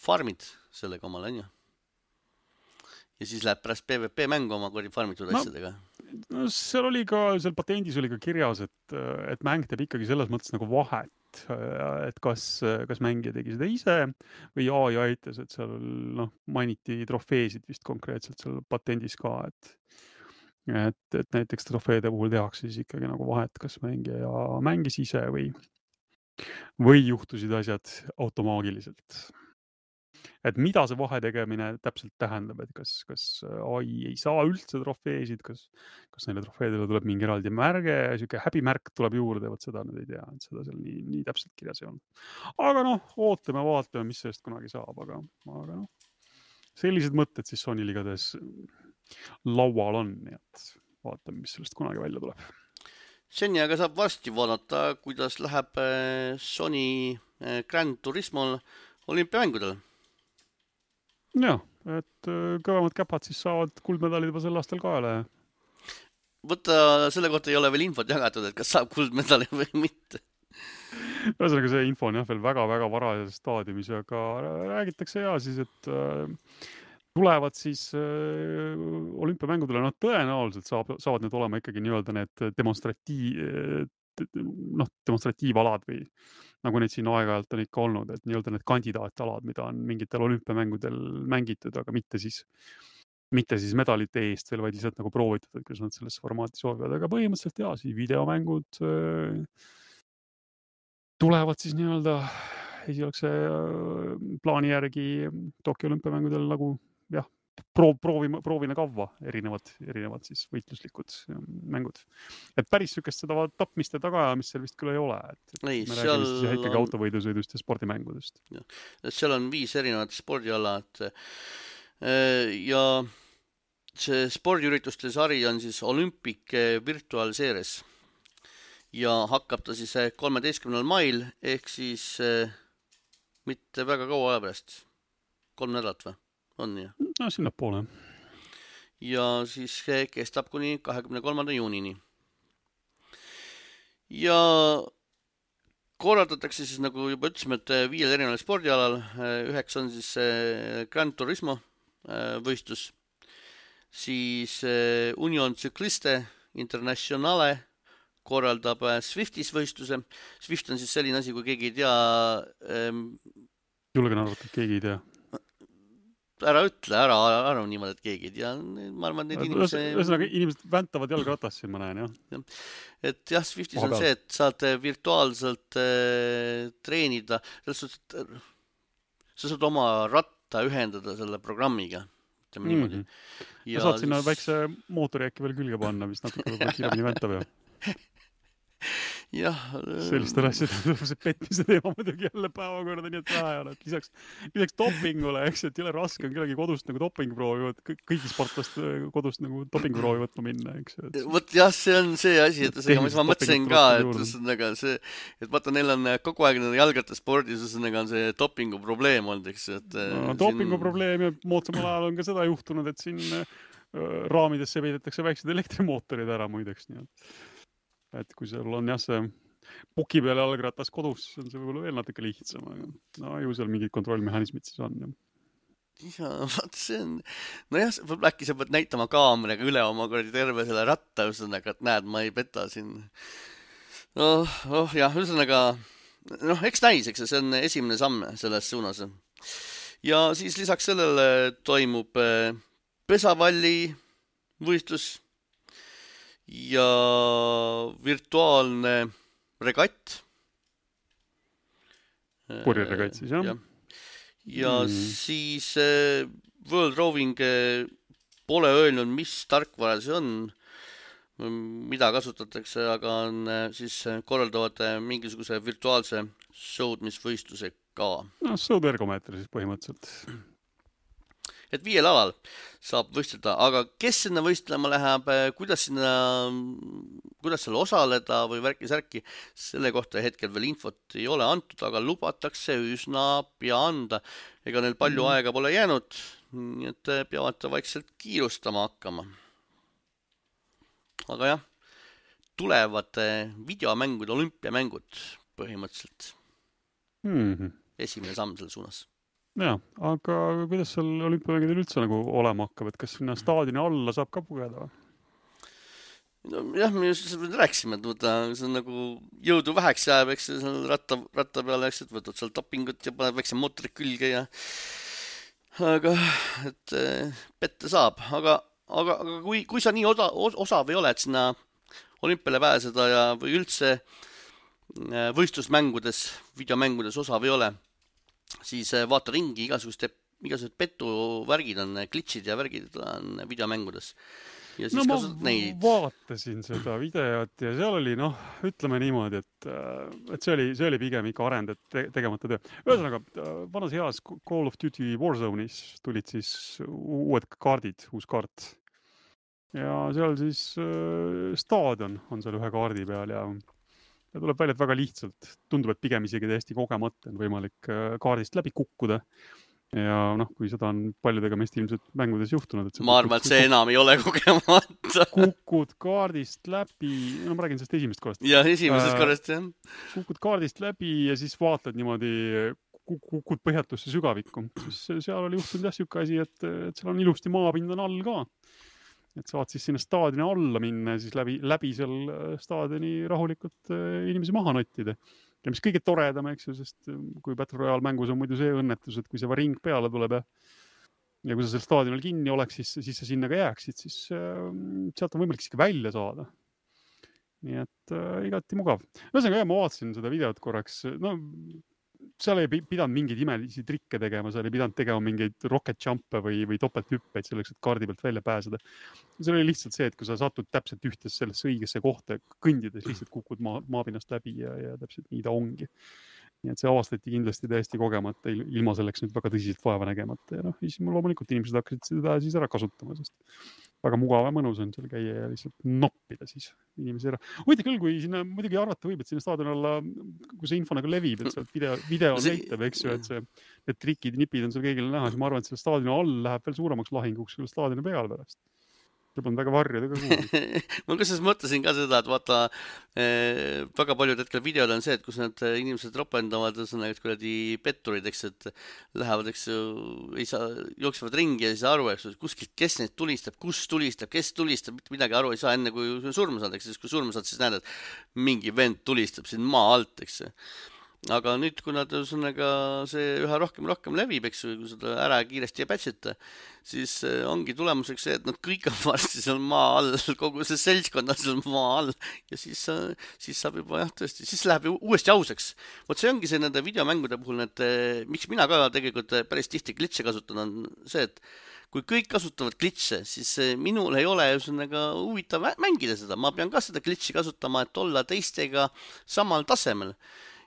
farmid sellega omal, on ju. Ja siis läheb pärast PvP mängu oma kodi farmitud no, asjadega. No seal oli ka, seal patendis oli ka kirjas, et, et mäng teeb ikkagi selles mõttes nagu vahet, et kas, kas mängija tegi seda ise või A I aitas, et seal noh, mainiti trofeesid vist konkreetselt seal patendis ka, et Et, et näiteks trofeede puhul tehakse siis ikkagi nagu vahet, kas mängija mängis ise või, või juhtusid asjad automaagiliselt. Et mida see vahe tegemine täpselt tähendab, et kas, kas A I ei saa üldse trofeesid, kas, kas neile trofeedele tuleb mingi eraldi märge, siuke häbimärk tuleb juurde, võt seda nüüd ei tea, et seda seal nii, nii täpselt kirjas ei olnud. Aga noh, ootame, vaatame, mis sellest kunagi saab, aga, aga noh, sellised mõtted siis Sony ligades laual on, nii et vaatame, mis sellest kunagi välja tuleb. Seni aga saab varsti vaadata, kuidas läheb Sony Gran Turismol olümpiamängudel. Jah, et kõvemad käpad siis saavad kuldmedalid juba sel aastal kaela. Võtta selle kohta ei ole veel infot jagatud, et kas saab kuldmedali või mitte. Ühesõnaga see info on jah veel väga-väga varajases staadiumis, aga räägitakse ja siis, et tulevad siis äh, olümpiamängudele, noh tõenäoliselt saab, saavad need olema ikkagi nii-öelda need demonstratiiv, noh, demonstratiivalad või nagu neid siin aeg-ajalt on ikka olnud, et nii-öelda need kandidaatalad, mida on mingitel olümpiamängudel mängitud, aga mitte siis, mitte siis medalite eest veel, vaid lihtsalt nagu proovitud, et kuidas nad selles formaati soovivad, aga põhimõtteliselt jaa, siis videomängud äh, tulevad siis nii-öelda esialgse plaani järgi Tokyo olümpiamängudel nagu jah, proov, proovime, proovime kavva erinevad, erinevad siis võitluslikud mängud. Et päris sükest seda tapmiste taga, mis seal vist küll ei ole. Et, et ei, me seal räägime siis ikkagi autovõidusõidust ja spordimängudest. Ja. Seal on viis erinevat spordialad ja see spordiürituste sari on siis Olympic Virtual Series ja hakkab ta siis kolmeteistkümnendal mail ehk siis mitte väga kaua aja pärast. Kolm nädalat või? On ju? No sinna poole. Ja siis kestab kuni kahekümne kolmanda juunini. Ja korraldatakse siis, nagu juba ütlesime, et viiel erineval spordialal. Üheks on siis Gran Turismo võistlus. Siis Union Cycliste Internationale korraldab Swiftis võistluse. Swift on siis selline asi, kui keegi ei tea. Ähm, Julgen arvata, et keegi ei tea. Ära ütle, ära arva niimoodi, et keegi ei tea. Ma arvan, et need inimese... Ühesõnaga, inimesed väntavad jalgratas siin, ma näen, jah. Et jah, Swiftis on see, et saad virtuaalselt äh, treenida. Sa saad oma ratta ühendada selle programmiga. Ütleme niimoodi. Mm-hmm. Ja saad sinna siis... väikse mootori äkki veel külge panna, mis natuke kiiremini väntab, jah. Jah. Sellist asjad, see petmise teema muidugi jälle päevakorda, nii et vähe on, et lisaks, lisaks dopingule, eks, et jälle raske on kellegi kodust nagu dopingproovi võtta, kõigi sportlast kodust nagu dopingproovi võtma minna, eks. Vot jah, see on see asi, et see, mis ma mõtlesin ka, et, nagu see, et vaata, neil on kogu aeg jalgrattaspordis, on see dopingu probleem olnud, eks. Et, no, dopingu siin... probleem ja moodsamal ajal on ka seda juhtunud, et siin raamidesse peidetakse väiksed elektrimootorid ära muideks, nii et et kui seal on jah see puki peale jalgratas kodus, siis on see võib-olla veel natuke lihtsam, aga no ju seal mingid kontrollmehhanismid siis on. Ja, vaat see on, no jah, äkki sa pead näitama kaameraga üle oma kordi terve selle ratta, ühesõnaga, et näed, ma ei peta siin. Oh, oh jah, ühesõnaga, noh, eks näis, eks see on esimene samm selles suunas. Ja siis lisaks sellele toimub pesavalli võistlus ja virtuaalne regatt. Purjeregatt siis, jah? Ja, ja mm. siis World Rowing pole öelnud, mis tarkvara see on, mida kasutatakse, aga on siis korraldavad mingisuguse virtuaalse sõudmisvõistluse ka. No, sõudvergomeeter siis põhimõtteliselt. Et viiel alal saab võistleda, aga kes sinna võistlema läheb, kuidas sinna, kuidas seal osaleda või värki-särki, selle kohta hetkel veel infot ei ole antud, aga lubatakse üsna pea anda. Ega neil palju mm. aega pole jäänud, nii et peavad vaikselt kiirustama hakkama. Aga jah, tulevad videomängude olümpiamängud põhimõtteliselt. Mm-hmm. Esimene samm selle suunas. Ja, aga kuidas seal olümpiamängudel üldse nagu olema hakkab, et kas sinna staadioni alla saab ka pugeda? No, jah, me just rääksime, et võtta, see on nagu jõudu väheks jääb, eks see ratta, ratta peale, eks, et võtad seal dopingut ja paned väikse mootorid külge ja aga, et pette saab, aga, aga, aga kui, kui sa nii osa, osav ei ole, et sinna olümpiale pääseda ja või üldse võistlusmängudes, videomängudes osav ei ole, siis vaata ringi, igasugused, igasugused petuvärgid on, glitchid ja värgid on videomängudes. Ja siis no ma neid... vaatasin seda videot ja seal oli, noh, ütleme niimoodi, et, et see oli, see oli pigem ikka arend, et te, tegemata töö. Ühesõnaga, vanas heas Call of Duty Warzone'is tulid siis uued kaardid, uus kaart. Ja seal siis äh, staadion on seal ühe kaardi peal ja Ja tuleb välja, et väga lihtsalt. Tundub, et pigem isegi täiesti kogemata on võimalik kaardist läbi kukkuda. Ja noh, kui seda on paljudega meist ilmselt mängudes juhtunud. Et ma arvan, et see enam ei ole kogemata. Kukud kaardist läbi, no ma räägin sellest esimest korrast. Ja, esimesest korrast, jah. Kukud kaardist läbi ja siis vaatad niimoodi, kukud põhjatusse sügavikku. Siis seal oli juhtunud jah siuke asi, et, et seal on ilusti maapind on all ka. Et saad siis sinna staadioni alla minna ja siis läbi, läbi seal staadioni rahulikult inimesi maha nottida. Ja mis kõige toredam, eks ju, sest kui Battle Royale mängus on muidu see õnnetus, et kui see ring peale tuleb ja, ja kui sa seal staadionil kinni oleks, siis, siis sa sinna ka jääksid, siis äh, sealt on võimalik siiski välja saada. Nii et äh, igati mugav. Ühesõnaga, ma vaatasin seda videot korraks, no seal ei pidanud mingeid imelisi trikke tegema, seal ei pidanud tegema mingeid rocket jump'e või, või topelthüppeid selleks, et kaardi pealt välja pääseda. See oli lihtsalt see, et kui sa satud täpselt ühtes sellesse õigesse kohta, kõndides lihtsalt kukud maa, maapinnast läbi ja, ja täpselt nii ta ongi. Nii et see avastati kindlasti täiesti kogemata, ilma selleks nüüd väga tõsiselt vaeva nägemata. Ja noh, siis loomulikult inimesed hakkasid seda siis ära kasutama, sest väga mugav ja mõnus on seal käia ja lihtsalt noppida siis inimesi ära. Huvitav küll, kui sinna muidugi arvata võib, et sinna staadion alla, kui see info nagu levib, et sealt video, video see... näitab, eks ju, et see, need trikid, nipid on seal kõigile näha, siis ma arvan, et selle staadioni all läheb veel suuremaks lahinguks selle staadioni peal pärast. see polnud väga varjuda ka kuhugi. ma kusjuures mõtlesin ka seda, et vaata eh, väga paljud hetkel videod on see, et kus need inimesed ropendavad, ühesõnaga kuradi petturid, eks, et lähevad, eks ju, ei saa, jooksevad ringi ja ei saa aru, eks ju, kuskilt, kes neid tulistab, kus tulistab, kes tulistab, mitte midagi aru ei saa enne, kui surma saad, eks, siis kui surma saad, siis näed, et mingi vend tulistab siin maa alt, eks. aga nüüd, kui nad ühesõnaga see üha rohkem rohkem levib, eks ju, kui seda ära kiiresti ei patchita, siis ongi tulemuseks see, et nad kõik on varsti seal maa all, kogu see seltskond on seal maa all ja siis, siis saab juba jah, tõesti, siis läheb ju uuesti ausaks. Vot see ongi see nende videomängude puhul, et miks mina ka tegelikult päris tihti glitche kasutan, on see, et kui kõik kasutavad glitche, siis minul ei ole ühesõnaga huvitav mängida seda, ma pean ka seda glitchi kasutama, et olla teistega samal tasemel.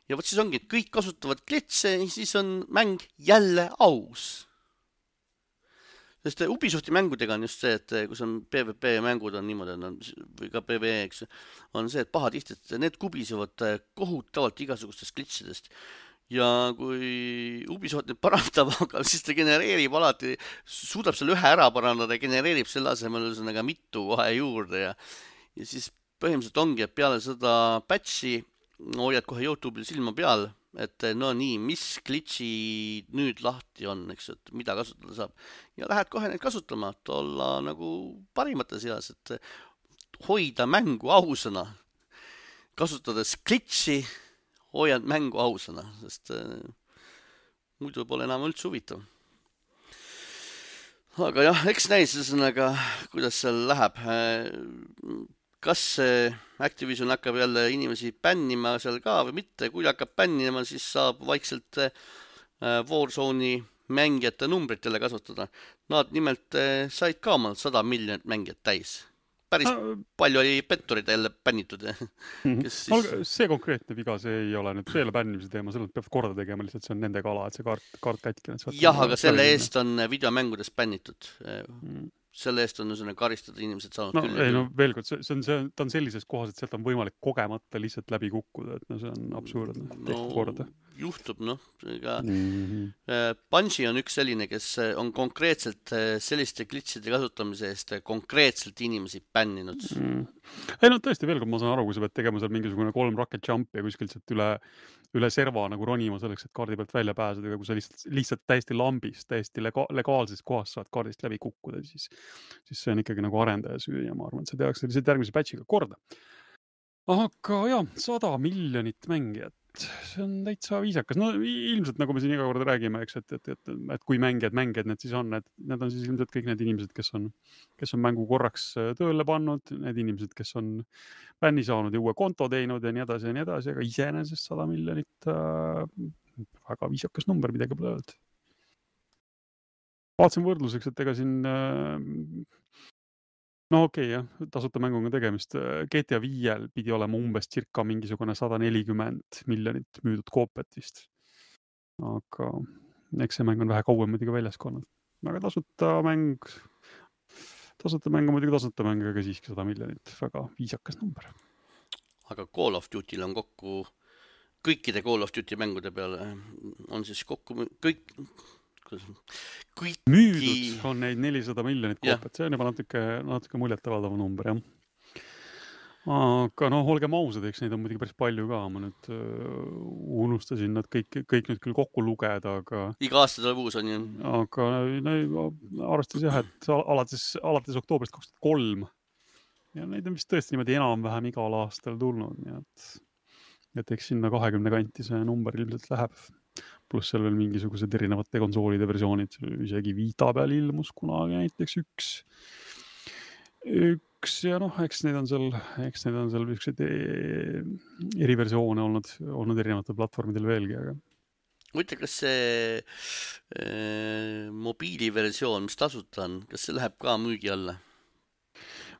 Ja vot siis ongi, et kõik kasutavad glitche, siis on mäng jälle aus. Sest Ubisofti mängudega on just see, et kus on PvP mängud on niimoodi, on, või ka PvE, eks, on see, et pahatihti, et need kubisevad kohutavalt igasugustest glitchidest. Ja kui Ubisoft nüüd parandab, aga siis ta genereerib alati, suudab selle ühe ära parandada ja genereerib selle asemel ühesõnaga mitu kohe juurde ja, ja siis põhimõtteliselt ongi, et peale seda patchi hoiad kohe YouTube'il silma peal, et no nii, mis glitchi nüüd lahti on, eks, et mida kasutada saab. Ja lähed kohe neid kasutama, et olla nagu parimate seas, et hoida mängu ausana. Kasutades glitchi hoiad mängu ausana, sest äh, muidu pole enam üldse huvitav. Aga jah, eks näis ühesõnaga, kuidas seal läheb. Kas Activision hakkab jälle inimesi bännima seal ka või mitte, kui hakkab bännima, siis saab vaikselt Warzone'i mängijate numbrit jälle kasutada. Nad nimelt said ka omal sada miljonit mängijat täis. Päris ah, palju oli petturid jälle bännitud. Mm-hmm. Siis... See konkreetne viga, see ei ole nüüd selle bännimise teema, selle peab korda tegema, lihtsalt see on nende kala, et see kaart, kaart kätkine. Jah, aga selle eest on videomängudes bännitud. Mm. Selle eest on ühesõnaga karistada inimesed saanud no, küll. Ei, no veel kord, see, see on, see, ta on sellises kohas, et sealt on võimalik kogemata lihtsalt läbi kukkuda, et no see on absurdne. No, korda. Juhtub, noh. Mm-hmm. Bungie on üks selline, kes on konkreetselt selliste glitchide kasutamise eest konkreetselt inimesi bänninud. Mm. Ei, no tõesti, veel kord ma saan aru, kui sa pead tegema seal mingisugune kolm rocket jump ja kuskilt sealt üle üle serva nagu ronima selleks, et kaardi pealt välja pääseda, aga kui sa lihtsalt, lihtsalt täiesti lambis, täiesti lega, legaalses kohas saad kaardist läbi kukkuda, siis, siis see on ikkagi nagu arendaja süü ja ma arvan, et see tehakse lihtsalt järgmise patchiga korda. Aga jah, sada miljonit mängijat, see on täitsa viisakas. No ilmselt, nagu me siin iga kord räägime, eks, et, et, et, et kui mängijad, mängijad need siis on, et need on siis ilmselt kõik need inimesed, kes on, kes on mängu korraks tööle pannud, need inimesed, kes on bänni saanud ja uue konto teinud ja nii edasi ja nii edasi, aga iseenesest sada miljonit äh, väga viisakas number, midagi pole öeldud. Vaatasin võrdluseks, et ega siin äh, no okei, okay, jah, tasuta mänguga tegemist. G T A viiel pidi olema umbes cirka mingisugune sada nelikümmend miljonit müüdud koopiat vist. Aga eks see mäng on vähe kauem muidugi väljas olnud. Aga tasuta mäng, tasuta mäng on muidugi tasuta mäng, aga siiski sada miljonit. Väga viisakas number. Aga Call of Duty'l on kokku, kõikide Call of Duty mängude peale on siis kokku kõik... Kõik... müüdud on neid nelisada miljonit koopiat, see on juba natuke, natuke muljetavaldava number, jah. Aga noh, olgem ausad, eks neid on muidugi päris palju ka, ma nüüd uh, unustasin nad kõik, kõik nüüd küll kokku lugeda, aga... Iga aasta tuleb uus on ju. Aga no, arvestas jah, et alates, alates oktoobrist kaks tuhat kolm ja neid on vist tõesti niimoodi enam-vähem igal aastal tulnud, nii et, et eks sinna kahekümne kanti see number ilmselt läheb. Pluss seal veel mingisugused erinevate konsoolide versioonid, isegi Vita peal ilmus kunagi näiteks üks, üks ja noh, eks need on seal, eks need on seal ükseid eriversioone olnud, olnud erinevatel platvormidel veelgi, aga. Võite, kas see äh, mobiiliversioon, mis tasuta on, kas see läheb ka müügi alla?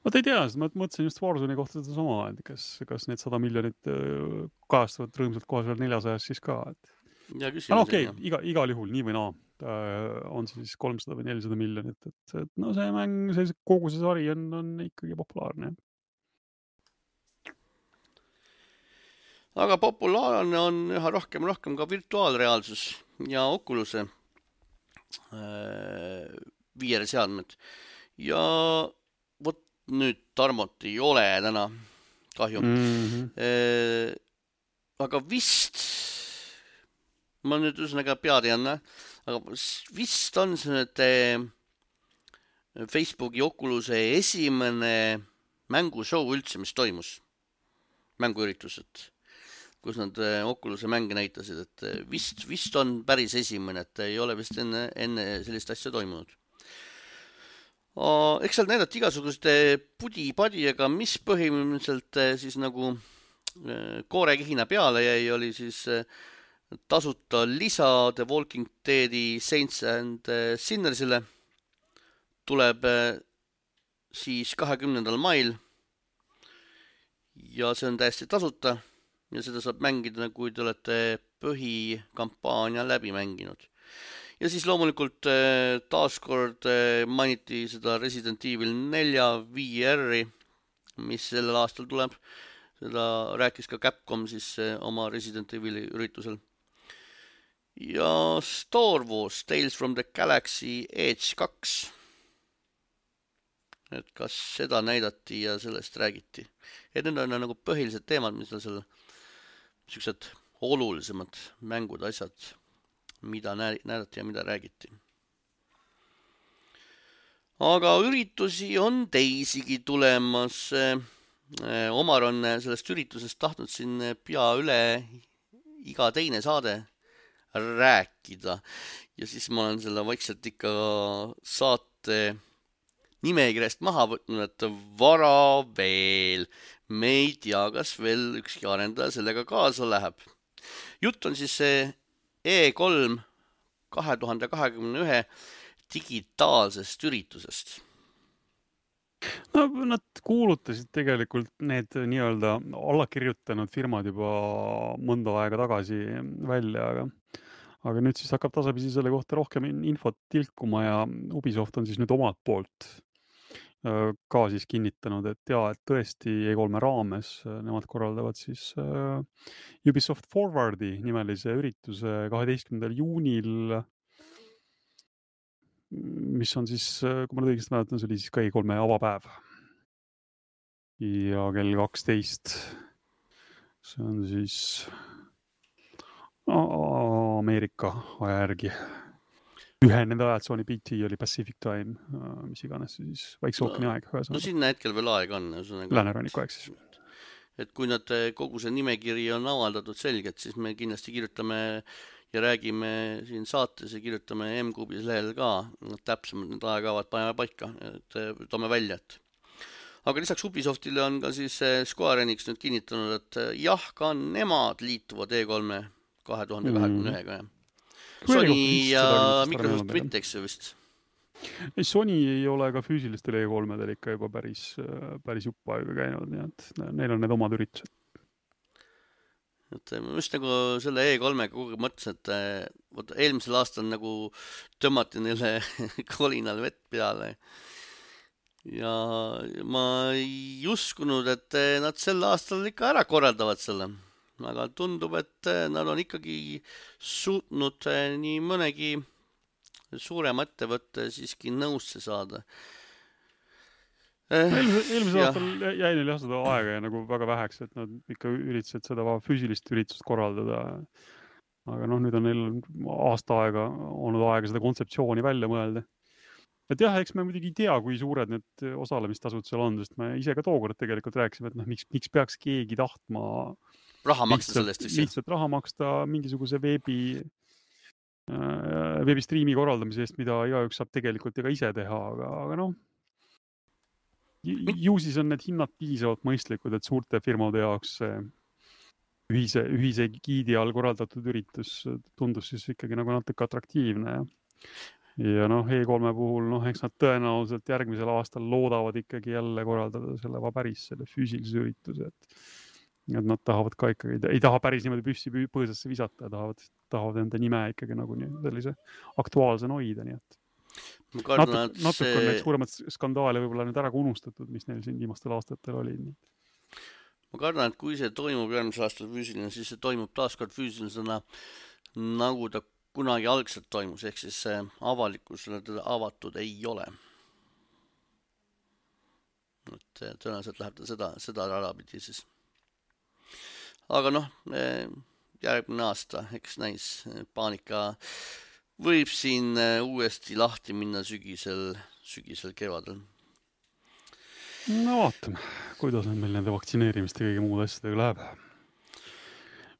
Ma ei tea, ma mõtlesin just Warzone'i kohta seda sama, et kas, kas need sada miljonit kajastavad rõõmsalt kohe seal neljasajas siis ka, et ja no okei, okay, iga, igal juhul, nii või naa, on see siis kolmsada või nelisada miljonit, et, et no see mäng, see, kogu see sari on, on ikkagi populaarne. Aga populaarne on üha rohkem rohkem ka virtuaalreaalsus ja Oculus'e äh, V R seadmed. Ja vot nüüd Tarmot ei ole täna, kahju. Mhm. Äh, aga vist, ma nüüd üsnaga pead ei anna, aga vist on see nüüd äh, Facebooki Oculus'e esimene mängushow üldse, mis toimus. Mänguüritused, kus nad äh, Oculus'e mänge näitasid, et äh, vist, vist on päris esimene, et ei ole vist enne, enne sellist asja toimunud. O, eks seal näidati igasuguste pudi-padi, aga mis põhimõtteliselt äh, siis nagu äh, koorekihina peale jäi, oli siis äh, tasuta lisa The Walking Deadi Saints and äh, Sinnersile. Tuleb äh, siis kahekümnendal mail ja see on täiesti tasuta ja seda saab mängida, kui te olete põhikampaania läbi mänginud. Ja siis loomulikult äh, taaskord äh, mainiti seda Resident Evil nelja V R-i, mis sellel aastal tuleb. Seda rääkis ka Capcom siis äh, oma Resident Evili üritusel. Ja Star Wars Tales from the Galaxy Edge kaks. Et kas seda näidati ja sellest räägiti. Et need on nagu põhilised teemad, mis on seal sellised olulisemad mängud, asjad, mida näidati ja mida räägiti. Aga üritusi on teisigi tulemas. Omar on sellest üritusest tahtnud siin pea üle iga teine saade rääkida. Ja siis ma olen selle vaikselt ikka saate nimekirjast maha võtnud, et vara veel. Me ei tea, kas veel ükski arendaja sellega kaasa läheb. Jutt on siis E kolm kahe tuhande kahekümne ühe digitaalsest üritusest. No, nad kuulutasid tegelikult need nii-öelda allakirjutanud firmad juba mõnda aega tagasi välja, aga, aga nüüd siis hakkab tasapisi selle kohta rohkem infot tilkuma ja Ubisoft on siis nüüd omalt poolt ka siis kinnitanud, et jaa, et tõesti E kolme raames nemad korraldavad siis uh, Ubisoft Forwardi nimelise ürituse kaheteistkümnendal juunil, mis on siis, kui ma õigesti mäletan, see oli siis ka E kolme avapäev. Ja kell kaksteist. See on siis Ameerika aja järgi. Ühe nende ajatsooni P T oli Pacific Time, mis iganes siis Vaikse ookeani aeg. No sinna hetkel veel aeg on. Lääneranniku aeg siis. Et kui nad kogu see nimekiri on avaldatud selgelt, siis me kindlasti kirjutame ja räägime siin saates ja kirjutame M-Kubis lehel ka täpsemalt need ajakavad paneme paika, et toome välja. Et. Aga lisaks Ubisoftile on ka siis Square Enix nüüd kinnitanud, et jah, ka nemad liituvad E kolme kahe tuhande kahekümne ühega. Mm. Sony ja Microsoft mitte, eks vist? Ei, Sony ei ole ka füüsilistel E kolmedel ikka juba päris, päris juppa aega käinud, nii et neil on need omad üritused. Et ma just nagu selle E kolmega kogu mõtlesin, et võt, eelmisel aastal nagu tõmmati neile kolinal vett peale. Ja ma ei uskunud, et nad sel aastal ikka ära korraldavad selle. Aga tundub, et nad on ikkagi suutnud nii mõnegi suurema ettevõtte siiski nõusse saada. Eelmisel aastal jäi neil jah seda aega ja nagu väga väheks, et nad ikka üritasid seda füüsilist üritust korraldada. Aga noh, nüüd on neil aasta aega olnud aega seda kontseptsiooni välja mõelda. Et jah, eks me muidugi ei tea, kui suured need osalemistasud seal on, sest me ise ka tookord tegelikult rääkisime, et noh, miks, miks peaks keegi tahtma raha maksta lihtsalt, sellest, eks? Lihtsalt raha maksta mingisuguse veebi, äh, veebistriimi korraldamise eest, mida igaüks saab tegelikult ja ka ise teha, aga, aga noh, ju siis on need hinnad piisavalt mõistlikud, et suurte firmade jaoks ühise, ühise giidi all korraldatud üritus tundus siis ikkagi nagu natuke atraktiivne. Ja, ja noh, E kolme puhul, noh, eks nad tõenäoliselt järgmisel aastal loodavad ikkagi jälle korraldada selle päris selle füüsilise ürituse, et et nad tahavad ka ikkagi, ei taha päris niimoodi püssi põõsasse visata ja tahavad, tahavad enda nime ikkagi nagu nii, sellise aktuaalsena hoida, nii et kardan, Natu, natuke see... on need suuremad skandaale võib-olla nüüd ära unustatud, mis neil siin viimastel aastatel oli. Ma kardan, et kui see toimub järgmisel aastal füüsiline, siis see toimub taaskord füüsilisena, nagu ta kunagi algselt toimus, ehk siis avalikkusele teda avatud ei ole. et tõenäoliselt läheb ta seda, seda rada pidi siis. Aga noh, järgmine aasta, eks näis, paanika võib siin uuesti lahti minna sügisel, sügisel kevadel. No vaatame, kuidas on meil nende vaktsineerimiste ja kõige muude asjadega läheb.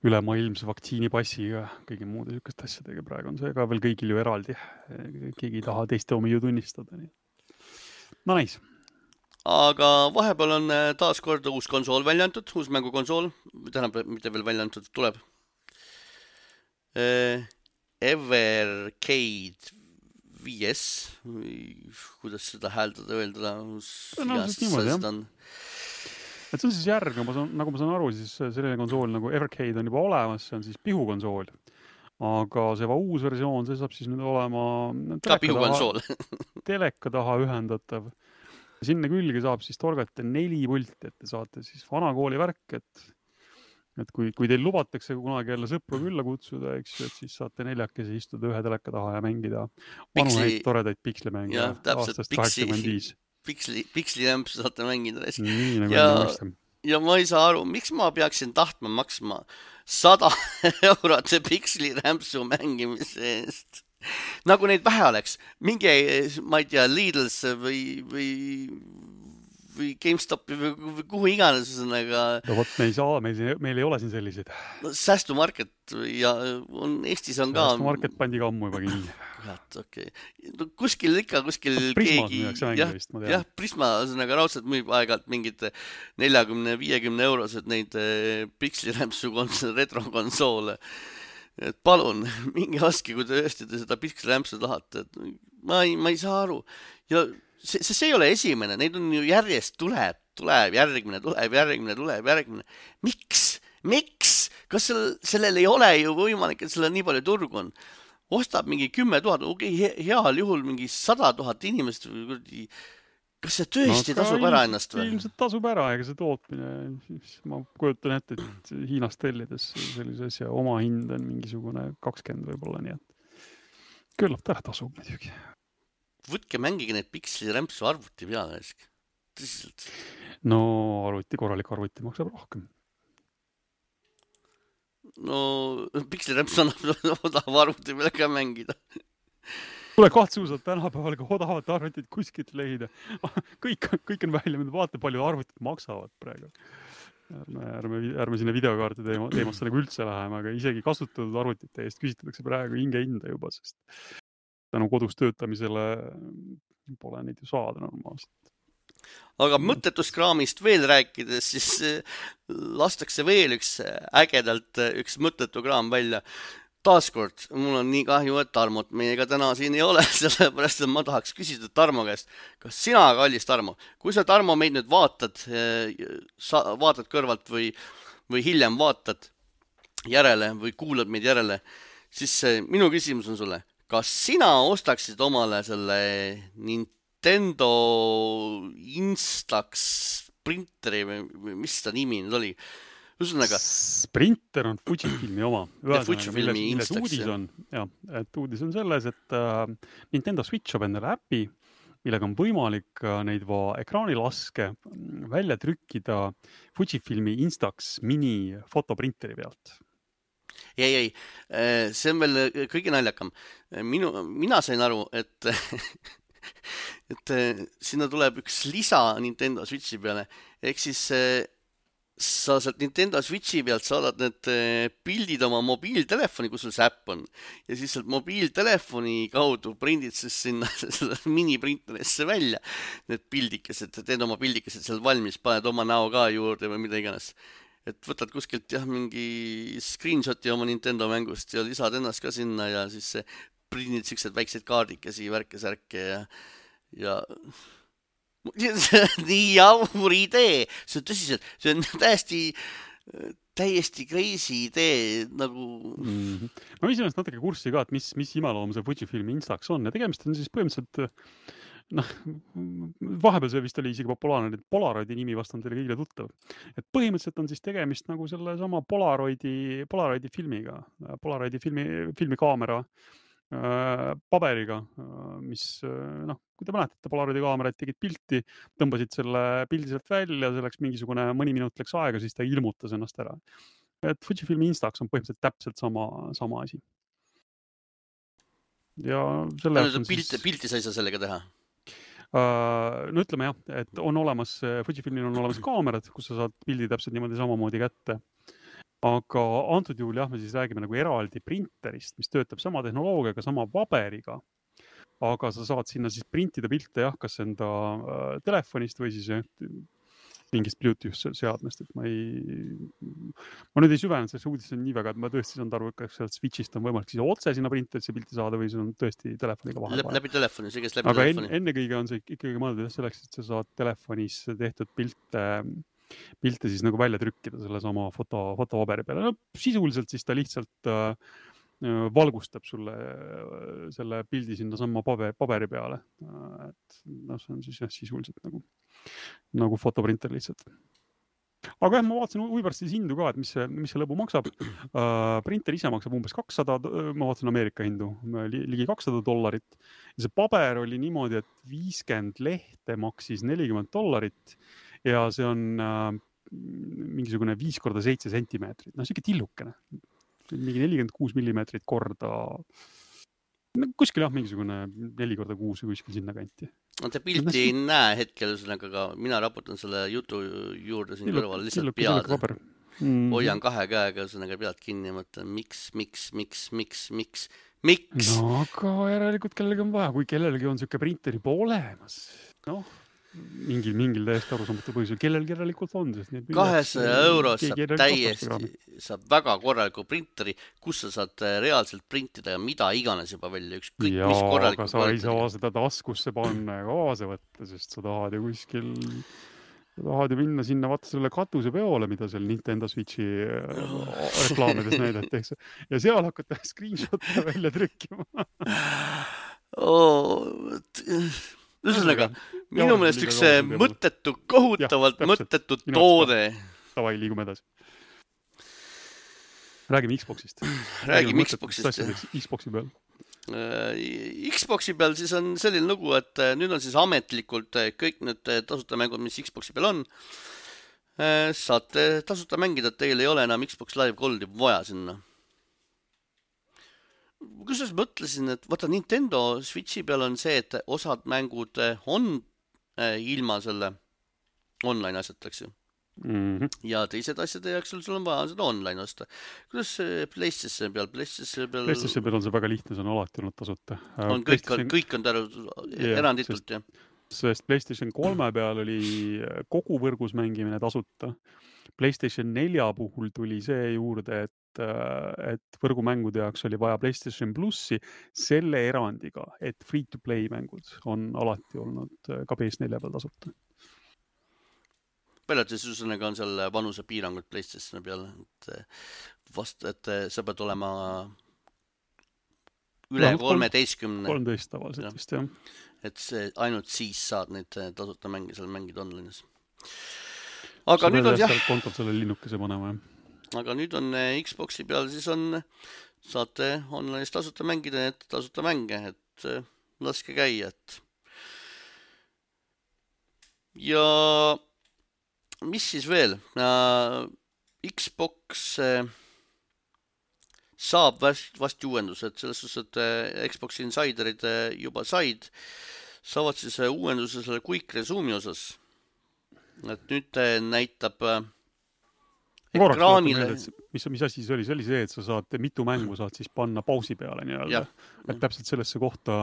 Ülemaailmse vaktsiinipassiga, kõigi muude sükeste asjadega praegu on see ka veel kõigil ju eraldi. Keegi ei taha teiste omi ju tunnistada. Nii. No näis. Aga vahepeal on taas kord uus konsool välja antud, uus mängukonsool, tähendab, mitte veel välja antud, tuleb. Evercade viis, kuidas seda hääldada, öelda, no, seda on. Et see on siis järg, ma saan, nagu ma saan aru, siis selline konsool nagu Evercade on juba olemas, see on siis pihukonsool. Aga see va uus versioon, see saab siis nüüd olema ka pihukonsool. Teleka taha ühendatav. Sinne külge saab siis torgata neli pulti, et te saate siis vanakooli värk, et et kui, kui teil lubatakse kunagi jälle sõpru külla kutsuda, eks ju, et siis saate neljakesi istuda ühe teleka taha ja mängida vanuheid toredaid pikslimänge ja, aastast kaheksakümmend viis. Piksli, pikslirämpsu saate mängida. Nii, nagu ja, ja ma ei saa aru, miks ma peaksin tahtma maksma sada eurot pikslirämpsu mängimise eest. Nagu neid vähe oleks. Mingi, ma ei tea, Lidl's või, või, või GameStopi või, või kuhu iganes. Aga... No võt, me ei saa, meil, meil ei ole siin selliseid. No, Säästumarket ja on, Eestis on ka... Säästumarket pandi ka ammu juba kinni. Kurat, okei. Okay. No, kuskil ikka, kuskil no, Prismas keegi... Prismas müüakse mängi vist, ma tean. Jah, Prisma nagu raudselt müüb aegalt mingid neljakümne viiekümne eurosed neid pikslirämpsu retrokonsoole. Et palun, mingi laske, kui te öösti te seda pikslirämpsu tahate. Et ma, ei, ma ei saa aru. Ja see, see ei ole esimene, neid on ju järjest tuleb, tuleb, järgmine, tuleb, järgmine, tuleb, järgmine. Miks? Miks? Kas sellel, sellel ei ole ju võimalik, et sellel nii palju turgu on? Ostab mingi kümme tuhat, okei, okay, heal juhul mingi sada tuhat inimest. Kas see tõesti no, tasub ära ennast või? Ilmselt tasub ära, ega see tootmine. Ma kujutan ette, et Hiinast tellides sellise asja oma hind on mingisugune kakskümmend võib-olla, nii et küllap ta tasub muidugi. Võtke mängige need pikslirämpsu arvuti peale. Tõsiselt. No arvuti, korralik arvuti maksab rohkem. No pikslirämps annab odav arvuti peale ka mängida. Tule kahtsuusalt tänapäeval ka odavat arvutit kuskilt leida. Kõik, kõik on välja, vaata palju arvutid maksavad praegu. Ärme, ärme, ärme sinna videokaarti teema, teemasse nagu üldse läheme, aga isegi kasutatud arvutite eest küsitakse praegu hinge hinda juba, sest tänu kodus töötamisele pole neid ju saada normaalselt. Aga mõttetuskraamist veel rääkides, siis lastakse veel üks ägedalt üks mõttetu kraam välja. Taaskord, mul on nii kahju, et Tarmot meiega täna siin ei ole, sellepärast et ma tahaks küsida Tarmo käest, kas sina, kallis Tarmo, kui sa Tarmo meid nüüd vaatad, sa vaatad kõrvalt või, või hiljem vaatad järele või kuulad meid järele, siis minu küsimus on sulle, kas sina ostaksid omale selle Nintendo Instax printeri või mis ta nimi nüüd oli? Üsõnaga... Sprinter on Fujifilmi oma. Fujifilmi milles uudis on, ja, et uudis on selles, et uh, Nintendo Switch on endale äpi, millega on võimalik uh, neid va ekraanilaske välja trükkida Fujifilmi Instax mini fotoprinteri pealt. Ei, ei, see on veel kõige naljakam. Minu, mina sain aru, et, et sinna tuleb üks lisa Nintendo Switchi peale. Ehk siis sa sealt Nintendo Switchi pealt saadad need pildid oma mobiiltelefoni, kus sul see äpp on. Ja siis sealt mobiiltelefoni kaudu prindid siis sinna miniprinterisse välja. Need pildikesed, teed oma pildikesed seal valmis, paned oma näo ka juurde või mida iganes. Et võtad kuskilt jah, mingi screenshoti oma Nintendo mängust ja lisad ennast ka sinna ja siis prindid siuksed väiksed kaardikesi, värke, särke ja, ja... nii jaur idee, see on tõsiselt, see on täiesti, täiesti crazy idee nagu... Mm-hmm. Ma viisin ennast natuke kurssi ka, et mis, mis imeloom see Fujifilmi Instax on ja tegemist on siis põhimõtteliselt, noh, vahepeal see vist oli isegi populaarne, et Polaroidi nimi vast on teile kõigile tuttav. Et põhimõtteliselt on siis tegemist nagu selle sama Polaroidi, Polaroidi filmiga, Polaroidi filmi, filmikaamera paberiga, mis, noh, kui te mäletate, Polaroidi kaamerad tegid pilti, tõmbasid selle pildi sealt välja, see läks mingisugune mõni minut läks aega, siis ta ilmutas ennast ära. Et Fujifilmi Instax on põhimõtteliselt täpselt sama, sama asi. Ja selle jaoks on pilti, siis... pilti sa ei saa sellega teha? No ütleme jah, et on olemas, Fujifilmil on olemas kaamerad, kus sa saad pildi täpselt niimoodi samamoodi kätte. Aga antud juhul jah, me siis räägime nagu eraldi printerist, mis töötab sama tehnoloogiaga, sama paberiga. Aga sa saad sinna siis printida pilte jah, kas enda äh, telefonist või siis mingist Bluetooth seadmest, et ma ei, ma nüüd ei süvenud, see uudis on nii väga, et ma tõesti saanud aru, et kas sealt Switchist on võimalik siis otse sinna printerisse pilti saada või see on tõesti telefoniga vahel. Läbi, läbi telefoni, see käes läbi aga telefoni. Aga ennekõige on see ikkagi mõeldud selleks, et sa saad telefonis tehtud pilte, pilte siis nagu välja trükkida selle sama foto, fotopaberi peale. No, sisuliselt siis ta lihtsalt äh, valgustab sulle selle pildi sinna sama paberi peale. Et no, see on siis jah, sisuliselt nagu, nagu fotoprinter lihtsalt. Aga jah, ma vaatasin huvipärast siis hindu ka, et mis see, mis see lõbu maksab. Uh, printer ise maksab umbes kakssada, ma vaatasin Ameerika hindu, ligi kakssada dollarit. Ja see paber oli niimoodi, et viiskümmend lehte maksis nelikümmend dollarit ja see on uh, mingisugune viis korda seitse sentimeetrit. No siuke tillukene. Mingi nelikümmend kuus millimeetrit korda, no, kuskil jah, mingisugune neli korda kuus või kuskil sinna kanti. No te pilti no, ei näe hetkel, aga mina raputan selle jutu juurde siin kõrval lihtsalt pead. Mm. Hoian kahe käega sõnaga pead kinni ja mõtlen, miks, miks, miks, miks, miks, miks? No aga järelikult kellelgi on vaja, kui kellelgi on siuke printer juba olemas, noh. Mingil, mingil täiesti arusaamatu põhjusel, kellel järelikult on. kahesaja euros saab täiesti, saab väga korraliku printeri, kus sa saad reaalselt printida ja mida iganes juba välja, üks kõik, ja, mis korraliku aga sa ei saa seda taskusse panna ja kaasa võtta, sest sa tahad ju kuskil, sa tahad ju minna sinna, vaata selle katuse peole, mida seal Nintendo Switchi reklaamides näidatakse. Ja seal hakata screenshot'e välja trükkima. oh, Ühesõnaga, minu meelest üks mõttetu, kohutavalt ja, mõttetu toode. Tavai, liigume edasi. Räägime Xboxist. Räägime, Räägime Xboxist. Xboxi peal. Xboxi peal siis on selline lugu, et nüüd on siis ametlikult kõik need tasuta mängud, mis Xboxi peal on. Saate tasuta mängida, et teil ei ole enam Xbox Live Goldi vaja sinna. Kusjuures mõtlesin, et vaata Nintendo Switchi peal on see, et osad mängud on ilma selle online asjataks ju. Mm-hmm. Ja teised asjade jaoks sul, sul on vaja seda online osta. Kuidas PlayStation peal? PlayStation peal, PlayStation peal on see väga lihtne, see on alati olnud tasuta. On kõik, on, kõik on täru eranditult, jah. Sest PlayStation kolme peal oli kogu võrgus mängimine tasuta. PlayStation nelja puhul tuli see juurde, et et võrgumängude jaoks oli vaja PlayStation Plussi selle erandiga, et free-to-play mängud on alati olnud ka P S nelja peal tasuta. Palju siis üsõnaga on seal vanuse piirangud PlayStation peal, et, vast, et sa pead olema üle kolmeteistkümne. kolmteist tavaliselt vist, jah. Et see, ainult siis saad neid tasuta mängi seal mängida online'is. Aga sa nüüd on jah. Kontol selle linnukese panema, jah. Aga nüüd on Xboxi peal, siis on, saate online'is tasuta mängida, et tasuta mänge, et laske käia, et. Ja mis siis veel? Xbox saab vast, vast uuendused, selles suhtes, et Xbox Insiderid juba said, saavad siis uuenduse selle Quick Resume'i osas. Et nüüd näitab ekraanile. Mis, mis asi see oli? See oli see, et sa saad mitu mängu saad siis panna pausi peale nii-öelda. Et täpselt sellesse kohta,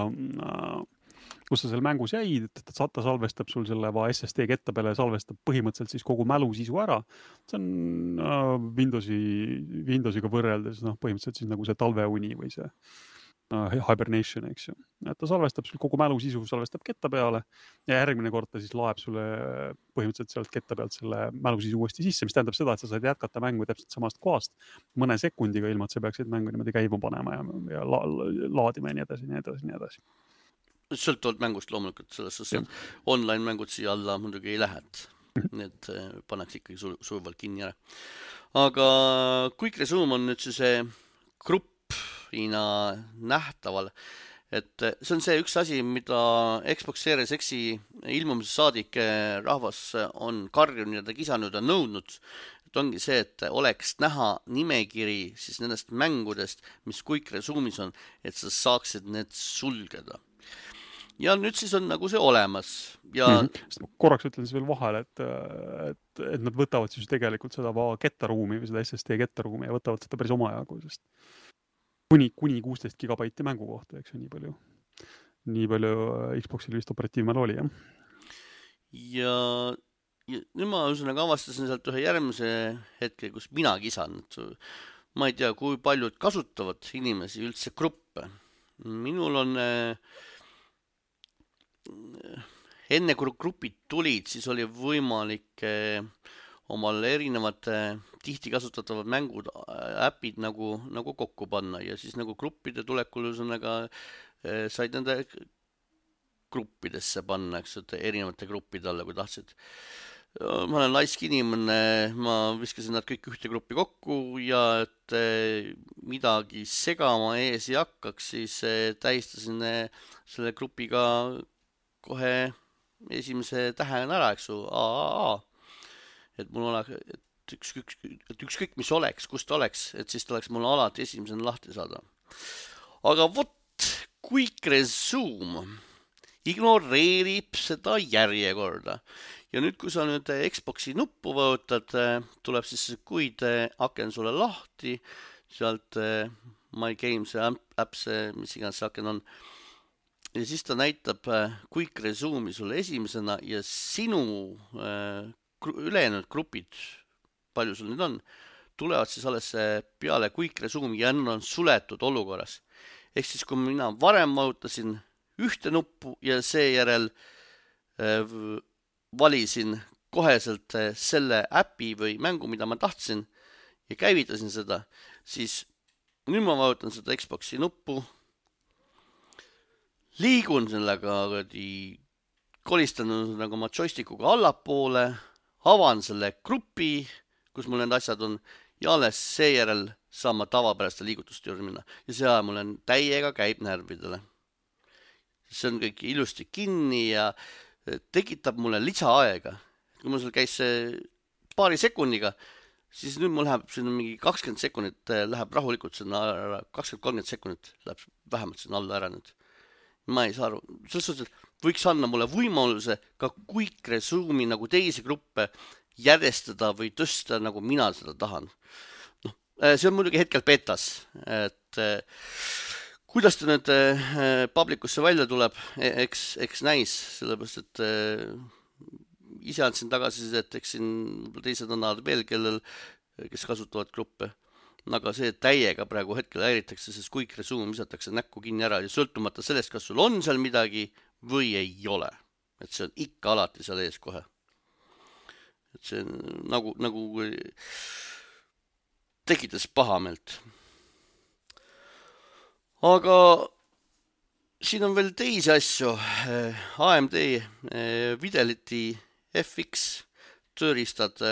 kus sa selle mängus jäid, et ta salvestab sul selle va S S D ketta peale, salvestab põhimõtteliselt siis kogu mälu sisu ära. See on Windowsi, Windowsiga võrreldes, noh, põhimõtteliselt siis nagu see talveuni või see Hibernation, eks ju. Et ta salvestab sul kogu mälu sisu, salvestab ketta peale ja järgmine kord ta siis laeb sulle põhimõtteliselt sealt ketta pealt selle mälu sisu uuesti sisse, mis tähendab seda, et sa saad jätkata mängu täpselt samast kohast mõne sekundiga, ilma et sa peaksid mängu niimoodi käima panema ja, ja la, laadima ja nii edasi, nii edasi, nii edasi. Sõltuvalt mängust loomulikult selles suhtes, et online mängud siia alla muidugi ei lähe, need pannakse ikkagi su suvalt kinni ära. Aga Quick Resume on nüüd see grupp graafikuna nähtaval. Et see on see üks asi, mida Xbox Series X-i ilmumise saadik rahvas on karjunud ja ta kisanud ja nõudnud. Et ongi see, et oleks näha nimekiri siis nendest mängudest, mis Quick Resume'is on, et sa saaksid need sulgeda. Ja nüüd siis on nagu see olemas. Ja... Mm-hmm. Korraks ütlen siis veel vahel, et, et, et nad võtavad siis tegelikult seda kettaruumi või seda S S D kettaruumi ja võtavad seda päris omajagu, sest kuni, kuni kuusteist gigabaiti mängu kohta, eks nii palju, nii palju Xboxil vist operatiivmäel oli, jah. Ja, ja nüüd ma üsnaga avastasin sealt ühe järgmise hetke, kus mina kisan. Ma ei tea, kui paljud kasutavad inimesi üldse gruppe. Minul on... enne kui grupid tulid, siis oli võimalik omal erinevad tihti kasutatavad mängud, äpid nagu, nagu kokku panna ja siis nagu gruppide tulekul üsnaga said nende gruppidesse panna, eks, erinevate gruppide alla, kui tahtsid. Ma olen laisk inimene, ma viskasin nad kõik ühte gruppi kokku ja et midagi segama ees ei hakkaks, siis tähistasin selle grupiga kohe esimese tähe ära, eks ju, A A A. Et mul oleks, et ükskõik, et ükskõik mis oleks, kus ta oleks, et siis ta oleks mul alati esimesena lahti saada. Aga vot, Quick Resume ignoreerib seda järjekorda. Ja nüüd, kui sa nüüd Xboxi nuppu võtad, tuleb siis kuid aken sulle lahti, sealt My Games apps, mis iganes see aken on. Ja siis ta näitab Quick Resume'i sulle esimesena ja sinu äh, ülejäänud grupid, palju sul nüüd on, tulevad siis alles peale Quick Resume'i ja on suletud olukorras. Ehk siis, kui mina varem vajutasin ühte nuppu ja seejärel äh, valisin koheselt selle äpi või mängu, mida ma tahtsin ja käivitasin seda, siis nüüd ma vajutan seda Xboxi nuppu, liigun sellega, kolistan nagu oma joystikuga allapoole, avan selle grupi, kus mul need asjad on, ja alles seejärel saan ma tavapäraste liigutuste juurde minna. Ja see aja mul on täiega käib närvidele. See on kõik ilusti kinni ja tekitab mulle lisaaega. Kui mul seal käis paari sekundiga, siis nüüd mul läheb sinna mingi kakskümmend sekundit läheb rahulikult sinna ära, kakskümmend kolmkümmend sekundit läheb vähemalt sinna alla ära nüüd. Ma ei saa aru. Selles suhtes, et võiks anda mulle võimaluse ka Quick Resume'i nagu teisi gruppe järjestada või tõsta, nagu mina seda tahan. No, see on muidugi hetkel betas, et kuidas ta nüüd publikusse välja tuleb, eks, eks näis, sellepärast, et ise andsin tagasi, et eks siin teised annavad veel, kellel, kes kasutavad gruppe. Aga see täiega praegu hetkel häiritakse, sest Quick Resume visatakse näkku kinni ära ja sõltumata sellest, kas sul on seal midagi või ei ole. Et see on ikka alati seal ees kohe. Et see nagu, nagu tekitas pahamelt. Aga siin on veel teisi asju. A M D Fidelity F X tööriistad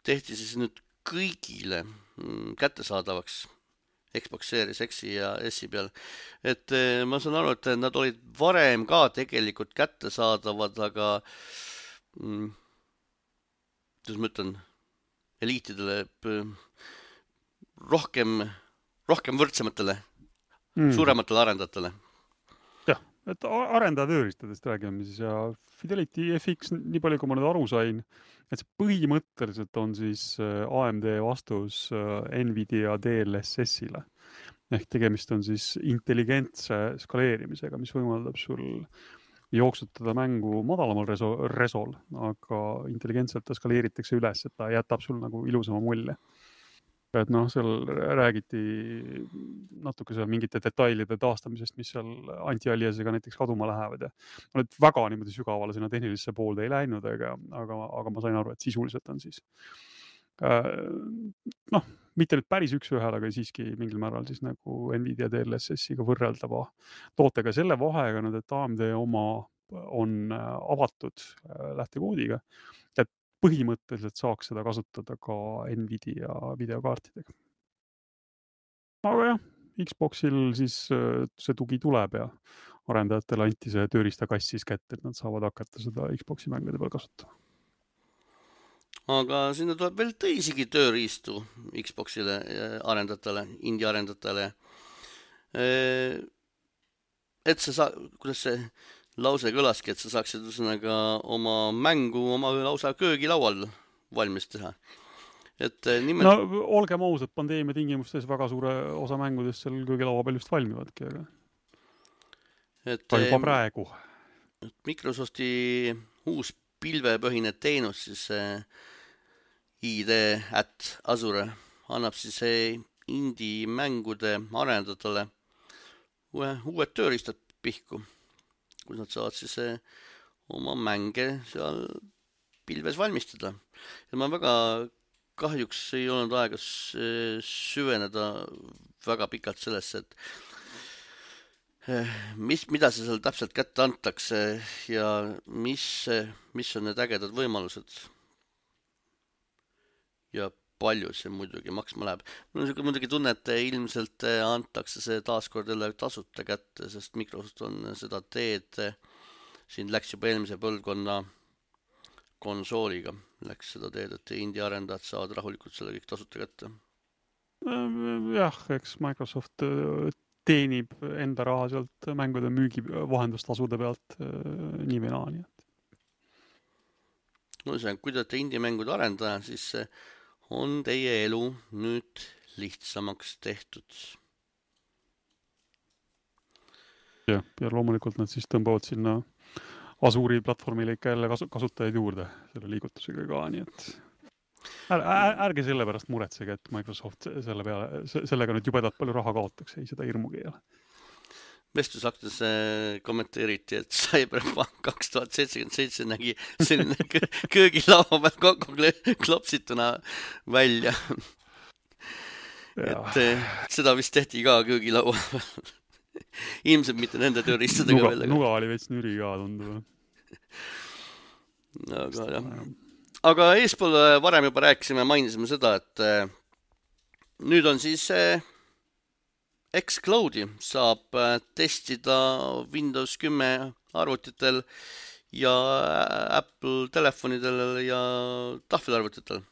tehti siis nüüd kõigile kättesaadavaks Xbox Series X-i ja S-i peal. Et ma saan aru, et nad olid varem ka tegelikult kättesaadavad, aga mm, kuidas ma ütlen, eliitidele rohkem, rohkem võrdsematele, mm. suurematele arendajatele. Jah, et arendajatest räägime siis ja Fidelity F X, nii palju kui ma nüüd aru sain, et see põhimõtteliselt on siis A M D vastus Nvidia D L S S-ile. Ehk tegemist on siis intelligentse skaleerimisega, mis võimaldab sul jooksutada mängu madalamal reso resol, aga intelligentselt ta skaleeritakse üles, et ta jätab sul nagu ilusama mulje. Et noh, seal räägiti natuke seal mingite detailide taastamisest, mis seal anti-aliasega näiteks kaduma lähevad. Ja oled väga niimoodi sügavale sinna tehnilisse poolde ei läinud, aga, aga, aga ma sain aru, et sisuliselt on siis noh, mitte nüüd päris üks ühel, aga siiski mingil määral siis nagu Nvidia D L S S-iga võrreldava tootega selle vahega, et A M D oma on avatud lähtekoodiga, et põhimõtteliselt saaks seda kasutada ka Nvidia videokaartidega. Aga jah, Xboxil siis see tugi tuleb ja arendajatele anti see tööriistakass siis kätte, et nad saavad hakata seda Xboxi mängude peal kasutama. Aga sinna tuleb veel teisigi tööriistu Xboxile arendajatele, indie arendajatele. Et sa saa, kuidas see lause kõlaski, et sa saaksid üsnaga oma mängu oma lausa köögilaual valmis teha. Et nimelt... No olgem ausad, pandeemia tingimustes väga suure osa mängudest seal köögilaua peal just valmivadki, aga et, ka juba praegu. Et Microsofti uus pilvepõhine teenus, siis I D at Azure annab siis indie mängude arendajatele uued tööriistad pihku, kus nad saavad siis oma mänge seal pilves valmistada. Ja ma väga kahjuks ei olnud aega süveneda väga pikalt sellesse, et mis, mida see seal täpselt kätte antakse ja mis, mis on need ägedad võimalused ja palju see muidugi maksma läheb. Mul on muidugi tunne, et ilmselt antakse see taaskord jälle tasuta kätte, sest Microsoft on seda teed, siin läks juba eelmise põlvkonna konsooliga, läks seda teed, et indie arendajad saavad rahulikult selle kõik tasuta kätte. Jah, eks Microsoft teenib enda raha sealt mängude müügi vahendustasude pealt nii või naa. No see on, kui te olete indie mängude arendaja, siis on teie elu nüüd lihtsamaks tehtud. Ja, ja loomulikult nad siis tõmbavad sinna Azuri platvormile ikka jälle kasutajaid juurde selle liigutusega ka, nii et är, är, ärge selle pärast muretsege, et Microsoft selle peale, sellega nüüd jubedalt palju raha kaotaks, ei seda hirmugi ei ole. Vestlusaktes kommenteeriti, et Cyberpunk kaks tuhat seitsekümmend seitse nägi selline köögilaua peal kokku klopsituna välja. Ja. Et seda vist tehti ka köögilaua peal. Ilmselt mitte nende tööriistadega nuga, veel. Nuga oli veits nüri ka tundub. Aga, jah. Aga eespool varem juba rääkisime, mainisime seda, et nüüd on siis xCloudi saab testida Windows kümme arvutitel ja Apple telefonidel ja tahvelarvutitel.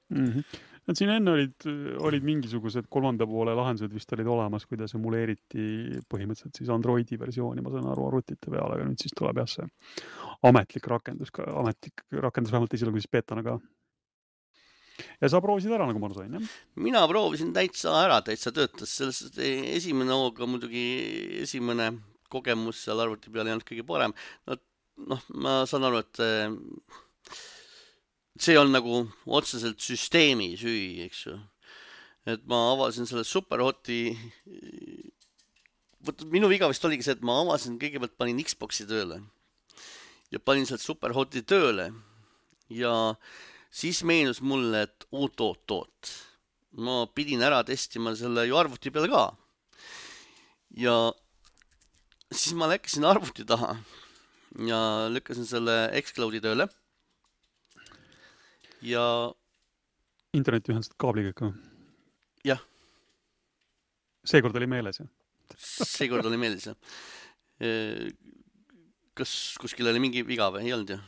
Mm-hmm. Et siin enne olid, olid mingisugused kolmanda poole lahendused vist olid olemas, kuidas emuleeriti põhimõtteliselt siis Androidi versiooni, ma saan aru arvutite peale, aga nüüd siis tuleb jah see ametlik rakendus, ametlik rakendus vähemalt esialgu siis beetana ka. Ja sa proovisid ära, nagu ma sain, jah? Mina proovisin täitsa ära, täitsa töötas. Sellest esimene hooga muidugi esimene kogemus seal arvuti peal ei olnud kõige parem. No, noh, ma saan aru, et see on nagu otseselt süsteemi süü, eks ju. Et ma avasin selle Superhoti. Minu viga vist oligi see, et ma avasin, kõigepealt panin Xboxi tööle. Ja panin sealt Superhoti tööle. Ja siis meenus mulle, et oot, oot, oot. Ma pidin ära testima selle ju arvuti peal ka. Ja siis ma läksin arvuti taha ja lükkasin selle xCloudi tööle. Ja interneti ühendasid kaabliga ka? Jah. Seekord oli meeles, jah? Seekord oli meeles, jah. Kas kuskil oli mingi viga või? Ei olnud, jah?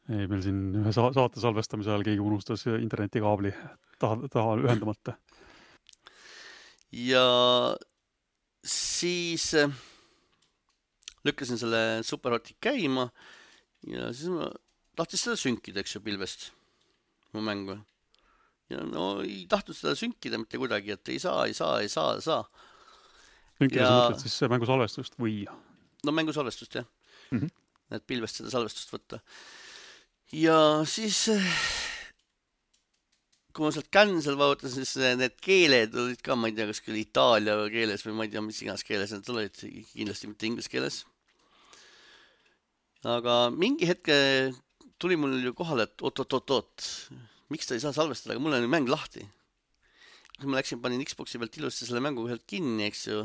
Ei, meil siin ühe saate salvestamise ajal keegi unustas internetikaabli taha, taha ühendamata. Ja siis lükkasin selle Superhoti käima ja siis ma tahtis seda sünkida, eks ju, pilvest mu mängu. Ja no ei tahtnud seda sünkida mitte kuidagi, et ei saa, ei saa, ei saa, ei saa. Sünkida ja... sa mõtled siis mängu salvestust või? No mängu salvestust, jah. Mm-hmm. Et pilvest seda salvestust võtta. Ja siis kui ma sealt cancel vaatasin, siis need keeled olid ka, ma ei tea, kas küll Itaalia keeles või ma ei tea, mis igas keeles need olid, kindlasti mitte inglise keeles. Aga mingi hetke tuli mul ju kohale, et oot, oot, oot, oot, miks ta ei saa salvestada, aga mul on mäng lahti. Kui ma läksin, panin Xboxi pealt ilusti selle mängu ühelt kinni, eks ju,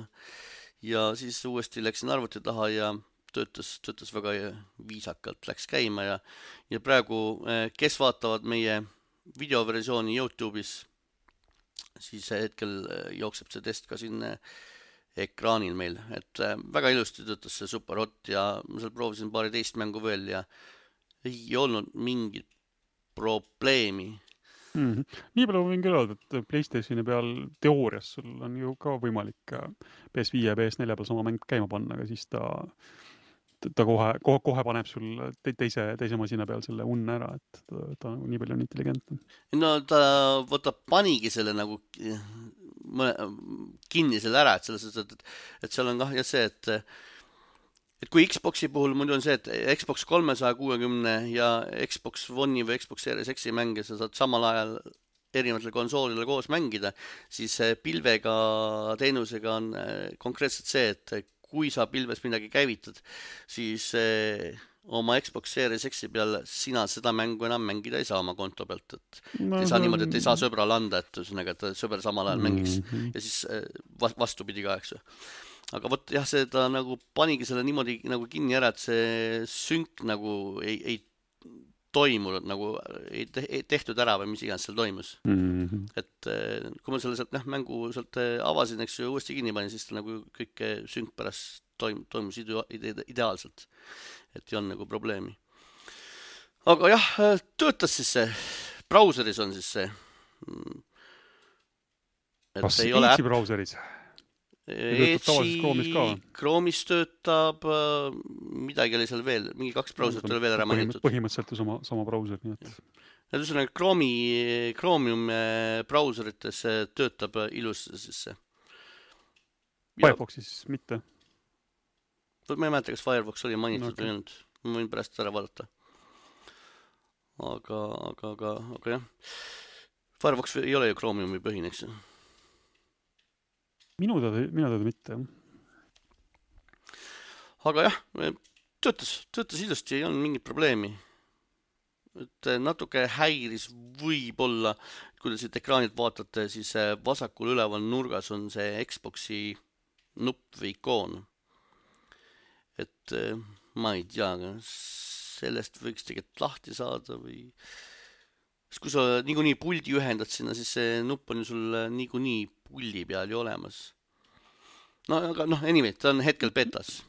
ja siis uuesti läksin arvuti taha ja töötas, töötas väga viisakalt, läks käima ja, ja praegu, kes vaatavad meie videoversiooni YouTube'is, siis hetkel jookseb see test ka siin ekraanil meil, et väga ilusti töötas see Superhot ja ma seal proovisin paari teist mängu veel ja ei olnud mingit probleemi. Mm-hmm. Nii palju võin küll öelda, et PlayStationi peal teoorias sul on ju ka võimalik P S viis ja P S neli peal sama mäng käima panna, aga siis ta, ta kohe, kohe, kohe paneb sul te, teise, teise masina peal selle unne ära, et ta, ta nii palju on intelligentne. No ta võtab panigi selle nagu kinni selle ära, et selles mõttes, et, et seal on kah ja see, et et kui Xboxi puhul muidu on see, et Xbox kolmesaja kuuekümne ja Xbox One'i või Xbox Series X'i mänge sa saad samal ajal erinevatel konsoolidel koos mängida, siis pilvega teenusega on konkreetselt see, et kui sa pilves midagi käivitad, siis oma Xbox Series X'i peal sina seda mängu enam mängida ei saa oma konto pealt, et no, ei saa on... niimoodi, et ei saa sõbrale anda, et, ühesõnaga, et sõber samal ajal mängiks mm-hmm. ja siis vastupidi ka, eks ju. Aga võt, jah, see ta nagu panigi selle niimoodi nagu kinni ära, et see synk nagu ei, ei toimunud, nagu ei, te, ei tehtud ära või mis iganes seal toimus. Mm-hmm. Et kui ma selle sealt noh, mängu sealt avasin, eks ju, uuesti kinni panin, siis ta nagu kõik synk pärast toim, toimus ide, ide, ideaalselt. Et ei on nagu probleemi. Aga jah, töötas siis see, brauseris on siis see. Et kas Edge'i brauseris? Edge'i, Chrome'is töötab, midagi oli seal veel, mingi kaks brauserit oli veel ära mainitud. Põhimõtteliselt sama, sama brauser, nii et... Ja ühesõnaga Chrome'i, Chromium brauserites töötab ilus siis see. Firefoxis mitte? Ma ei mäleta, kas Firefox oli mainitud okay. või olnud. Ma võin pärast ära vaadata. Aga, aga, aga, aga jah. Firefox ei ole ju Chromiumi põhine, eks. Minu teada, minu teada mitte. Aga jah, töötas, töötas ilusti, ei olnud mingit probleemi. Et natuke häiris võib-olla, kui te siit ekraanilt vaatate, siis vasakul üleval nurgas on see Xboxi nupp või ikoon. Et ma ei tea, sellest võiks tegelikult lahti saada või... Kui sa niikuinii puldi ühendad sinna, siis see nupp on ju sul niikuinii puldi peal ju olemas. No aga noh, anyway, ta on hetkel betas.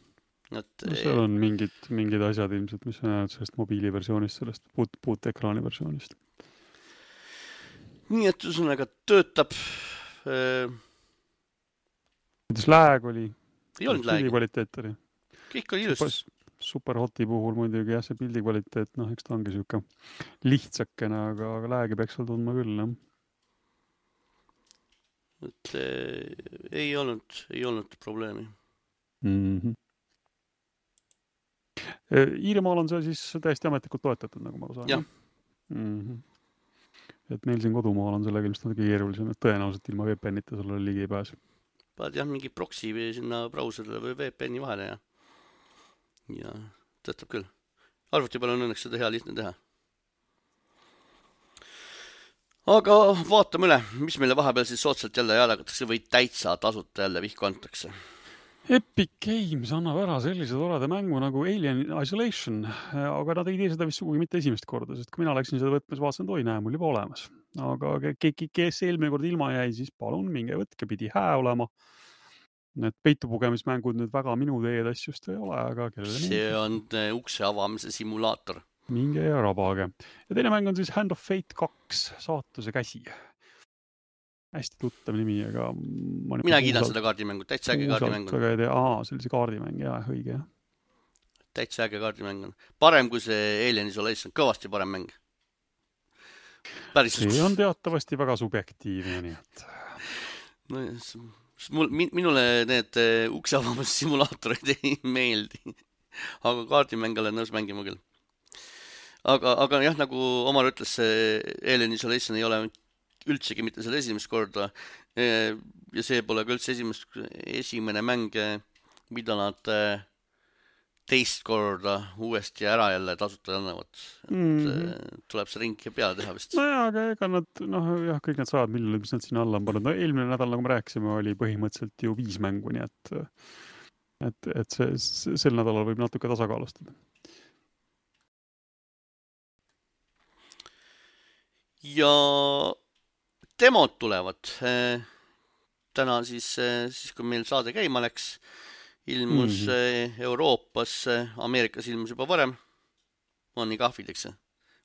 Et... No seal on mingid, mingid asjad ilmselt, mis on jäänud sellest mobiiliversioonist, sellest puut, puut ekraani versioonist. Nii et ühesõnaga töötab. Kuidas lääg oli? Ei olnud lääg. Kvaliteet oli. Kõik oli ilust. Super, Superhoti puhul muidugi jah, see pildi kvaliteet, noh, eks ta ongi siuke lihtsakene, aga, aga läägi peaks seal tundma küll, jah. Et eh, ei olnud, ei olnud probleemi. Mm-hmm. E, Iirimaal on see siis täiesti ametlikult toetatud, nagu ma saan. Jah. Mm-hmm. Et meil siin kodumaal on sellega ilmselt natuke keerulisem, et tõenäoliselt ilma V P N-ita sulle ligi ei pääse. Paad jah, mingi proxy või sinna brauserile või V P N-i vahele ja ja töötab küll. Arvuti peal on õnneks seda hea lihtne teha. Aga vaatame üle, mis meile vahepeal siis soodsalt jälle jagatakse või täitsa tasuta jälle vihku antakse. Epic Games annab ära sellise toreda mängu nagu Alien Isolation, aga nad ei tee seda vist sugugi mitte esimest korda, sest kui mina läksin seda võtmes, vaatasin, et oi näe, mul juba olemas. Aga kes eelmine kord ilma jäi, siis palun minge võtke, pidi hää olema. Need peitupugemismängud nüüd väga minu teed asjust ei ole, aga kellele see on ukse avamise simulaator. Minge ja rabage. Ja teine mäng on siis Hand of Fate kaks, saatuse käsi. Hästi tuttav nimi, aga... Mina kiidan puusalt, seda kaardimängu, täitsa äge kaardimäng on. Aa, sellise kaardimäng, jah, õige. Täitsa äge kaardimäng on. Parem kui see Alien Isolation, kõvasti parem mäng. Päris... See on teatavasti väga subjektiivne, nii et... No, Mul, minule need ukseavamus simulaatorid ei meeldi, aga kaardimäng olen nõus mängima küll. Aga, aga jah, nagu Omar ütles, see Alien Isolation ei ole üldsegi mitte selle esimest korda ja see pole ka üldse esimest, esimene mäng, mida nad teist korda uuesti ära jälle tasuta annavad. Et mm. tuleb see ring peale teha vist. No jah, aga ega nad, noh jah, kõik need sajad miljonid, mis nad sinna alla on pannud. No eelmine nädal, nagu me rääkisime, oli põhimõtteliselt ju viis mängu, nii et, et, et see, sel nädalal võib natuke tasakaalustada. Ja demod tulevad. Täna siis, siis kui meil saade käima läks, ilmus mm-hmm. Euroopas, Ameerikas ilmus juba varem. On nii kahvid, eks see?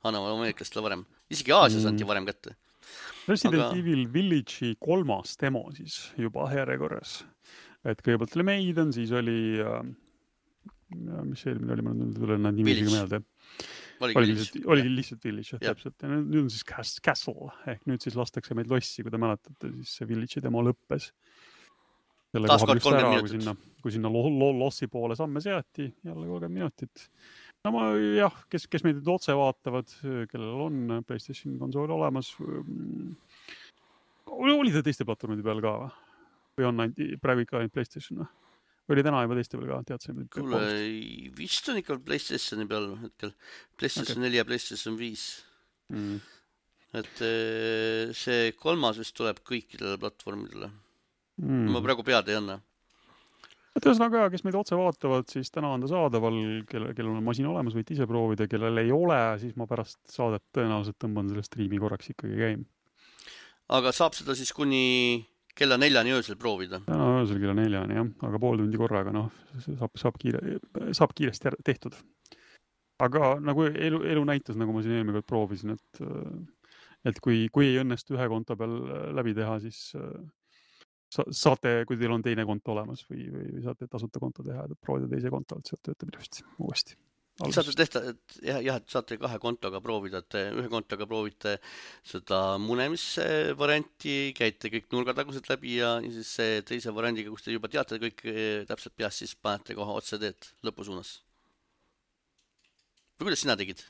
Annavad ameeriklastele varem. Isegi Aasias mm. anti varem kätte. Resident Aga... Evil Village'i kolmas demo siis juba järjekorras. Et kõigepealt oli Maiden, siis oli äh, mis eelmine oli, ma nüüd tulen nad nimisiga meelde. Oligi, oligi lihtsalt, oligi lihtsalt Village, ja. Täpselt. Ja nüüd on siis Castle, ehk nüüd siis lastakse meid lossi, kui te mäletate, siis see Village'i demo lõppes. Selle koha peal just ära, kui sinna, kui sinna lo, lo, lossi poole samme seati, jälle kolmkümmend minutit. No ma, jah, kes, kes meid nüüd otse vaatavad, kellel on PlayStation konsool olemas, oli ta teiste platvormide peal ka või? Või on ainult, praegu ikka ainult PlayStation või? Või oli täna juba teiste peal ka, teadsin? Kuule, vist on ikka PlayStationi peal hetkel. PlayStation okay. neli ja PlayStation viis. Mm. Et see kolmas vist tuleb kõikidele platvormidele. Mm. Ma praegu pead ei anna. Et ühesõnaga, kes meid otse vaatavad, siis täna on ta saadaval, kellel, kellel on masin olemas, võite ise proovida, kellel ei ole, siis ma pärast saadet tõenäoliselt tõmban selle striimi korraks ikkagi käima. Aga saab seda siis kuni kella neljani öösel proovida? Täna öösel kella neljani, jah, aga pool tundi korraga, noh, saab, saab, kiire, saab kiiresti tehtud. Aga nagu elu, elu näitas, nagu ma siin eelmine kord proovisin, et, et kui, kui ei õnnestu ühe konto peal läbi teha, siis saate, kui teil on teine konto olemas või, või saate tasuta konto teha, et proovida teise konto, et sealt töötab ilusti uuesti. Saate tehta, et jah, jah, et saate kahe kontoga proovida, et ühe kontoga proovite seda munemisvarianti, käite kõik nurgatagused läbi ja siis teise variandiga, kus te juba teate kõik täpselt peast, siis panete kohe otse teed lõpusuunas. Või kuidas sina tegid?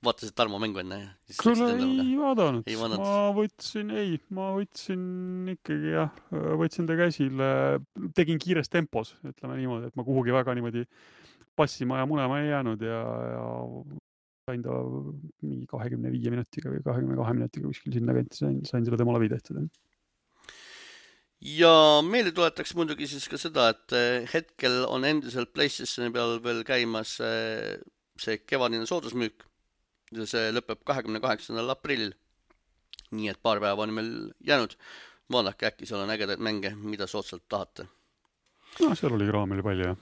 Vaatasid Tarmo mängu enne? Kuule, ei vaadanud. Ei ma võtsin, ei, ma võtsin ikkagi, jah, võtsin ta käsile, tegin kiires tempos, ütleme niimoodi, et ma kuhugi väga niimoodi passima ja munema ei jäänud ja, ja sain ta mingi kahekümne viie minutiga või kahekümne kahe minutiga kuskil sinna kanti sain, sain selle tema läbi tehtud. Ja meile tuletaks muidugi siis ka seda, et hetkel on endiselt PlayStationi peal veel käimas see kevadine soodusmüük. See lõpeb kahekümne kaheksandal aprillil. Nii et paar päeva on meil jäänud. Vaadake, äkki seal on ägedaid mänge, mida soodsalt tahate. No, seal oli kraamil palju, jah.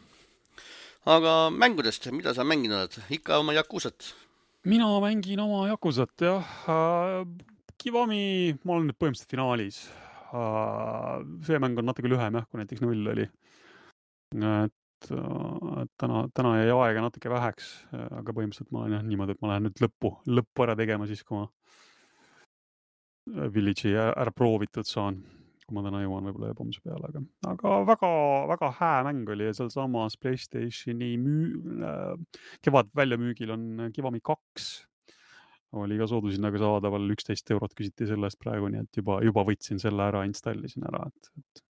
Aga mängudest, mida sa mänginud oled? Ikka oma Yakusat? Mina mängin oma Yakusat, jah. Kiwami, ma olen nüüd põhimõtteliselt finaalis. See mäng on natuke lühem, jah, kui näiteks null oli. Et, et täna, täna jäi aega natuke väheks, aga põhimõtteliselt ma olen jah, niimoodi, et ma lähen nüüd lõppu, lõppu ära tegema siis, kui ma Village'i ära proovitud saan. Kui ma täna jõuan võib-olla jõbomuse peale, aga, aga väga, väga hää mäng oli ja seal samas PlayStationi müü, kevad väljamüügil on Kiwami kaks. Oli ka soodushinnaga saadaval üksteist eurot küsiti sellest praegu, nii et juba, juba võtsin selle ära, installisin ära. Et, et,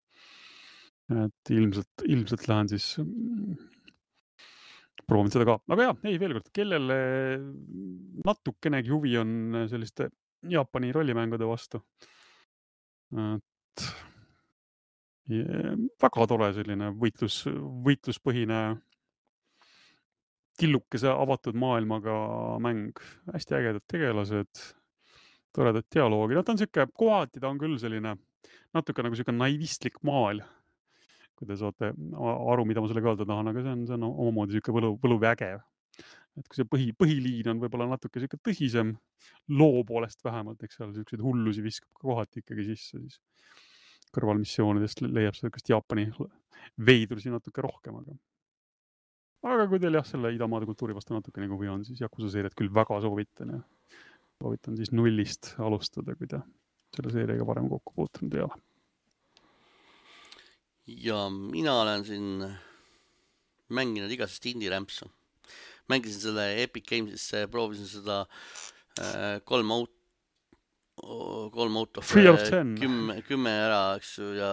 et ilmselt, ilmselt lähen siis proovin seda ka. Aga jah, ei veel kord, kellele natukenegi huvi on selliste Jaapani rollimängude vastu. Et ja, väga tore selline võitlus, võitluspõhine tillukese avatud maailmaga mäng. Hästi ägedad tegelased, toredad dialoogi. No, ta on siuke, kohati ta on küll selline natuke nagu siuke naivistlik maal, kui te saate aru, mida ma selle öelda tahan, aga see on, see on omamoodi siuke võlu, võluvägev. Et kui see põhi, põhiliin on võib-olla natuke siuke tõsisem, loo poolest vähemalt, eks seal siukseid hullusi viskab ka kohati ikkagi sisse, siis kõrvalmissioonidest leiab seda Jaapani veidrusi natuke rohkem, aga aga kui teil jah, selle idamaade kultuuri vastu natuke nagu või on, siis Yakuza seeriat küll väga soovitan ja soovitan siis nullist alustada, kui te selle seeriaga varem kokku puutunud ei ole. Ja mina olen siin mänginud igasest indie-rämpsu. Mängisin selle Epic Gamesisse, proovisin seda äh, kolm aut kolm auto kümme, kümme ära, eks ju, ja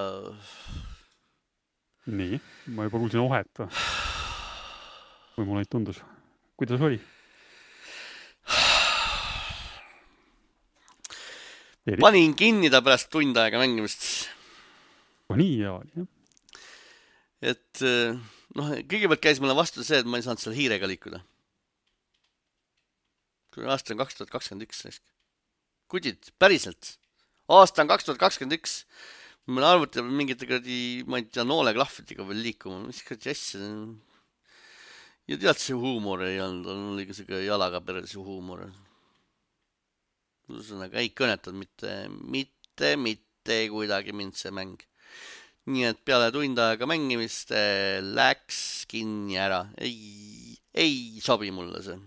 nii, ma juba kuulsin ohet või mulle neid tundus. Kuidas oli? Panin kinni ta pärast tund aega mängimist. Nii ja oli, jah. Et noh, kõigepealt käis mulle vastu see, et ma ei saanud seal hiirega liikuda. Kui aasta on kaks tuhat kakskümmend üks. Kudid, päriselt. aasta on kaks tuhat kakskümmend üks. Meil arvuti mingite kredi, ma ei tea, nooleklahvitiga veel liikuma. Mis kredi asja? Ja tead, see huumor ei olnud. On oli ka see jalaga perelse huumor. Ühesõnaga ei kõnetanud mitte, mitte, mitte kuidagi mind see mäng. Nii et peale tund aega mängimist läks kinni ära. Ei, ei sobi mulle see.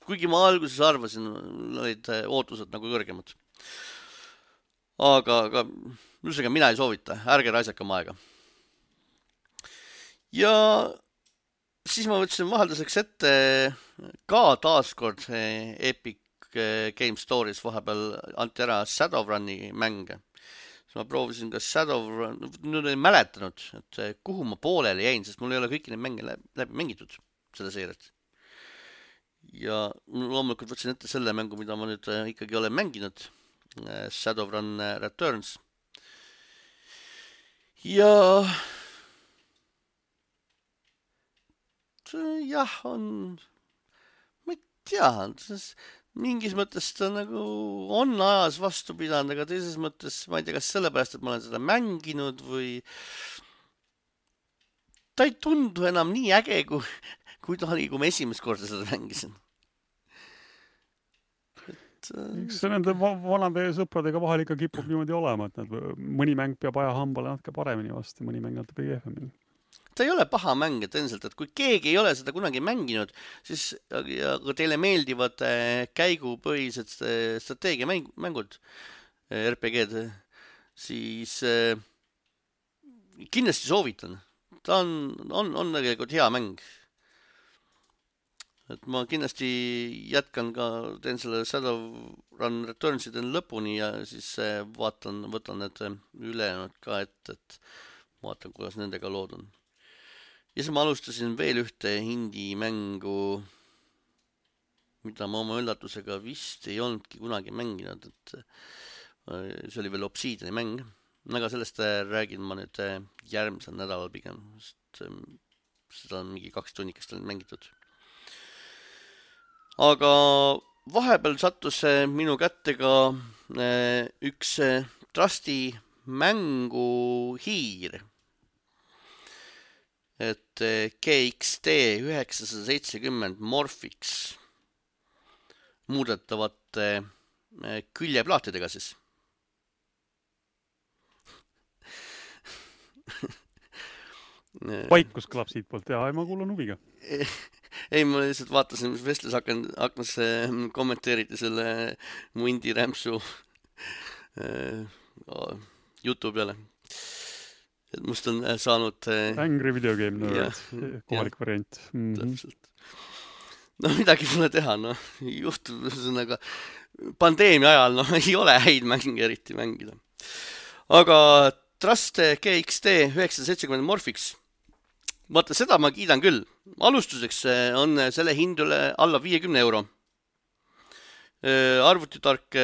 Kuigi ma alguses arvasin, olid ootused nagu kõrgemad. Aga, aga üldse mina ei soovita. Ärge raisakam aega. Ja siis ma võtsin vahelduseks ette ka taaskord Epic Game Stories vahepeal anti ära Shadowruni mänge. Siis ma proovisin ka Shadowrun, nüüd ei mäletanud, et kuhu ma pooleli jäin, sest mul ei ole kõiki neid mänge läbi mängitud seda seeriat. Ja loomulikult võtsin ette selle mängu, mida ma nüüd ikkagi olen mänginud, Shadowrun Returns. Ja jah, on, ma ei tea, mingis mõttes ta nagu on ajas vastu pidanud, aga teises mõttes, ma ei tea, kas sellepärast, et ma olen seda mänginud või ta ei tundu enam nii äge, kui, kui ta oli, kui ma esimest korda seda mängisin. Et, eks see nende vanade sõpradega vahel ikka kipub niimoodi olema, et nad, mõni mäng peab aja hambale natuke paremini vastu, mõni mäng natuke kehvemini. Ta ei ole paha mäng, et endiselt, et kui keegi ei ole seda kunagi mänginud, siis ja teile meeldivad käigupõhised strateegiamängud, R P G-d, siis kindlasti soovitan. Ta on, on, on tegelikult hea mäng. Et ma kindlasti jätkan ka, teen selle Shadowrun Returnsiden lõpuni ja siis vaatan, võtan need ülejäänud ka ette, et vaatan, kuidas nendega lood on. Ja siis ma alustasin veel ühte indie mängu, mida ma oma üllatusega vist ei olnudki kunagi mänginud, et see oli veel Obsidiani mäng. Aga sellest räägin ma nüüd järgmisel nädalal pigem, sest seda on mingi kaks tunnikest on mängitud. Aga vahepeal sattus minu kätte ka üks Trusti mängu hiir. Et G X T üheksasada seitsekümmend Morphix muudetavate küljeplaatidega siis. Vaikus kõlab siit poolt ja ma kuulan huviga. Ei, ma lihtsalt vaatasin, mis vestlus aknas kommenteeriti selle mu indie rämpsu jutu peale. Et must on saanud Angry Video Game Nerd, kohalik ja, variant. Mm-hmm. Täpselt. No midagi pole teha, no juhtub ühesõnaga pandeemia ajal, no ei ole häid mänge eriti mängida. Aga Trust G X T üheksasada seitsekümmend Morphix, vaata seda ma kiidan küll. Alustuseks on selle hind üle alla viiekümne euro. Arvutitark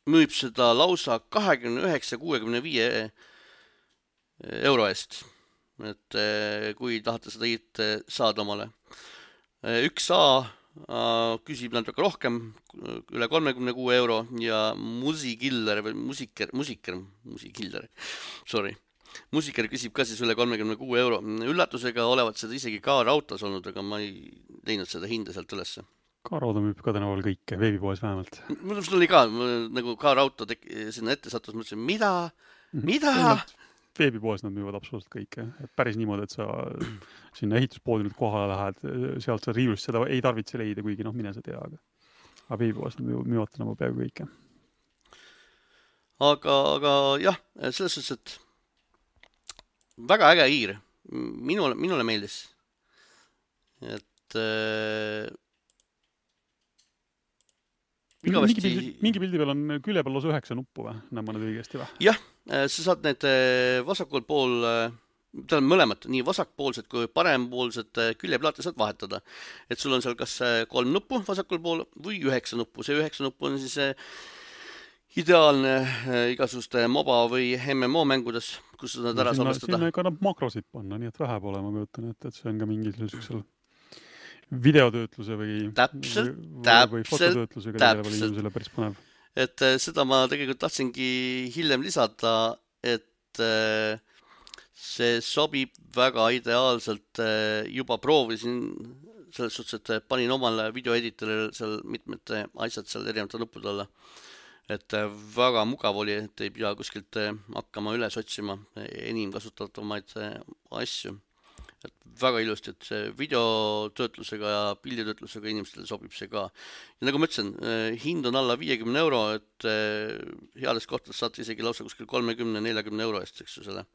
müüb seda lausa kahekümne üheksa kuuekümne viie euro eest. Et kui tahate seda hiit saada omale. üks A küsib natuke rohkem, üle kolmekümne kuue euro ja Musikiller või musiker, musiker, musikiller, sorry. Musiker küsib ka siis üle kolmekümne kuue euro. Üllatusega olevat seda isegi ka rautas olnud, aga ma ei teinud seda hinde sealt ülesse. K-rauda müüb ka tänaval kõike, veebipoes vähemalt. Mul oli ka, nagu K-rauta sinna ette sattus, mõtlesin, mida? Mida? Veebipoes nad müüvad absoluutselt kõike. Et päris niimoodi, et sa sinna ehituspoodi nüüd kohale lähed, sealt sa riivlust seda ei tarvitse leida, kuigi noh, mine sa tea. Aga, aga veebipoes nad müüvad tänaval peaaegu kõike. Aga, aga jah, selles suhtes, et väga äge hiir. Minule, minule meeldis. Et Mingi pildi, mingi pildi peal on külje peal lausa üheksa nuppu või? Näen ma nüüd õigesti või? Jah, sa saad need vasakul pool, ta on mõlemad, nii vasakpoolsed kui parempoolsed küljeplaate saad vahetada. Et sul on seal kas kolm nuppu vasakul pool või üheksa nuppu. See üheksa nuppu on siis ideaalne igasuste MOBA või M M O mängudes, kus sa saad ära salvestada. Sinna kannab makrosid panna, nii et vähe pole, ma kujutan, et, et see on ka mingi sellisel videotöötluse või, täpselt, või, või fototöötlusega täpselt. tegelevale inimesele päris põnev. et seda ma tegelikult tahtsingi hiljem lisada, et see sobib väga ideaalselt, juba proovisin selles suhtes, et panin omale videoeditorile seal mitmed asjad seal erinevate nuppude alla. Et väga mugav oli, et ei pea kuskilt hakkama üles otsima enim kasutatavamaid asju. Et väga ilusti, et see videotöötlusega ja pilditöötlusega inimestele sobib see ka. Ja nagu ma ütlesin, hind on alla viiekümne euro, et heades kohtades saate isegi lausa kuskil kolmekümne neljakümne euro eest, eks ju, selle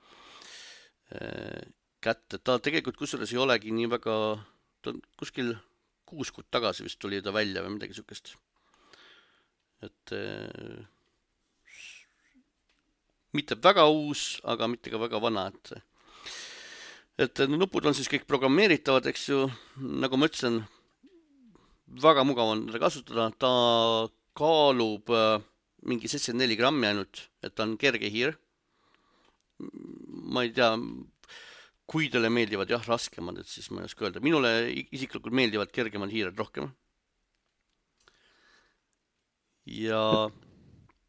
kätte. Ta tegelikult kusjuures ei olegi nii väga, ta kuskil kuus kuud tagasi vist tuli ta välja või midagi sükest. Et mitte väga uus, aga mitte ka väga vana, et et nupud on siis kõik programmeeritavad, eks ju, nagu ma ütlesin, väga mugav on teda kasutada, ta kaalub mingi seitsekümmend neli grammi ainult, et ta on kerge hiir. Ma ei tea, kui teile meeldivad jah, raskemad, et siis ma ei oska öelda. Minule isiklikult meeldivad kergemad hiired rohkem. Ja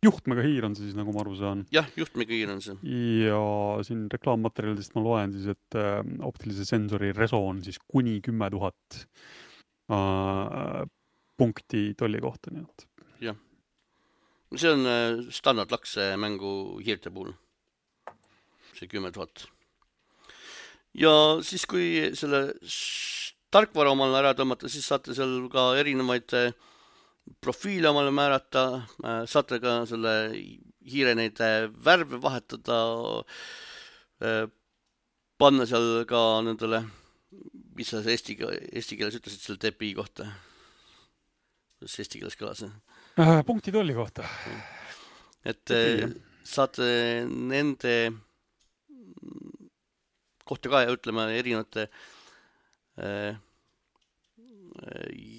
juhtmega hiir on see siis, nagu ma aru saan. Jah, juhtmega hiir on see. Ja siin reklaammaterjalidest ma loen siis, et äh, optilise sensori reso on siis kuni kümme tuhat äh, punkti tolli kohta. Nii et. Jah. See on äh, standardlaks mängu hiirte puhul. See kümme tuhat. Ja siis, kui selle tarkvara omale ära tõmmata, siis saate seal ka erinevaid äh, profiile omale määrata, saate ka selle hiire neid värve vahetada, panna seal ka nendele, mis sa eesti, eesti keeles ütlesid selle T P I kohta? Kuidas eesti keeles kõlas? Äh, punkti tolli kohta. Et saate nende kohta ka ja ütlema erinevate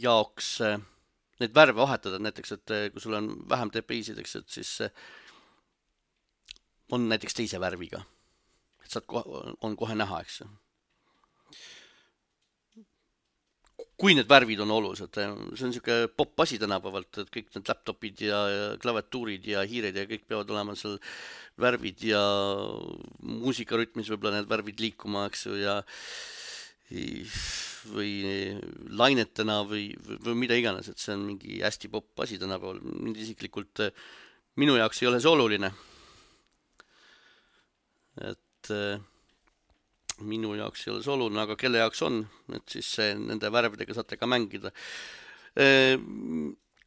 jaoks neid värve vahetada, näiteks, et kui sul on vähem T P I-sid, eks, et siis on näiteks teise värviga. Et saad kohe, on kohe näha, eks. Kui need värvid on olulised, see on niisugune pop asi tänapäevalt, et kõik need laptopid ja, ja klaviatuurid ja hiired ja kõik peavad olema seal värvid ja muusikarütmis võib-olla need värvid liikuma, eks ju, ja või lainetena või, või mida iganes, et see on mingi hästi pop asi tänapäeval. Mind isiklikult minu jaoks ei ole see oluline. Et minu jaoks ei ole see oluline, aga kelle jaoks on, et siis nende värvidega saate ka mängida.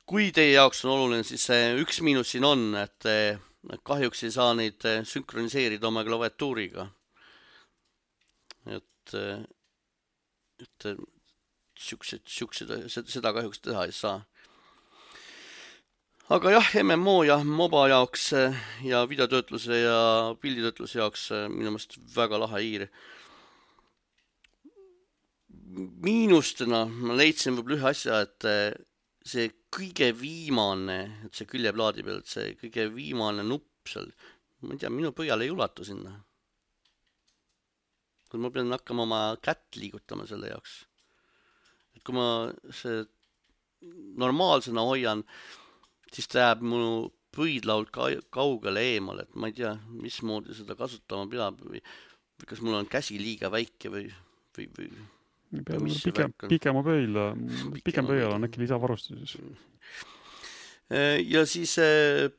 Kui teie jaoks on oluline, siis üks miinus siin on, et kahjuks ei saa neid sünkroniseerida oma klaviatuuriga. Et et siuksed, siuksed, seda kahjuks teha ei saa. Aga jah, M M O ja MOBA jaoks ja videotöötluse ja pilditöötluse jaoks minu meelest väga lahe hiir. Miinustena ma leidsin võib-olla ühe asja, et see kõige viimane, et see küljeplaadi peal, et see kõige viimane nupp seal, ma ei tea, minu pöial ei ulatu sinna. Kui ma pean hakkama oma kätt liigutama selle jaoks. Et kui ma see normaalsena hoian, siis ta jääb mu pöidlault kaugele eemale, et ma ei tea, mismoodi seda kasutama peab või, või kas mul on käsi liiga väike või, või, või pikem, pikema pöidla, pikem pöidla on äkki lisavarustuses. Ja siis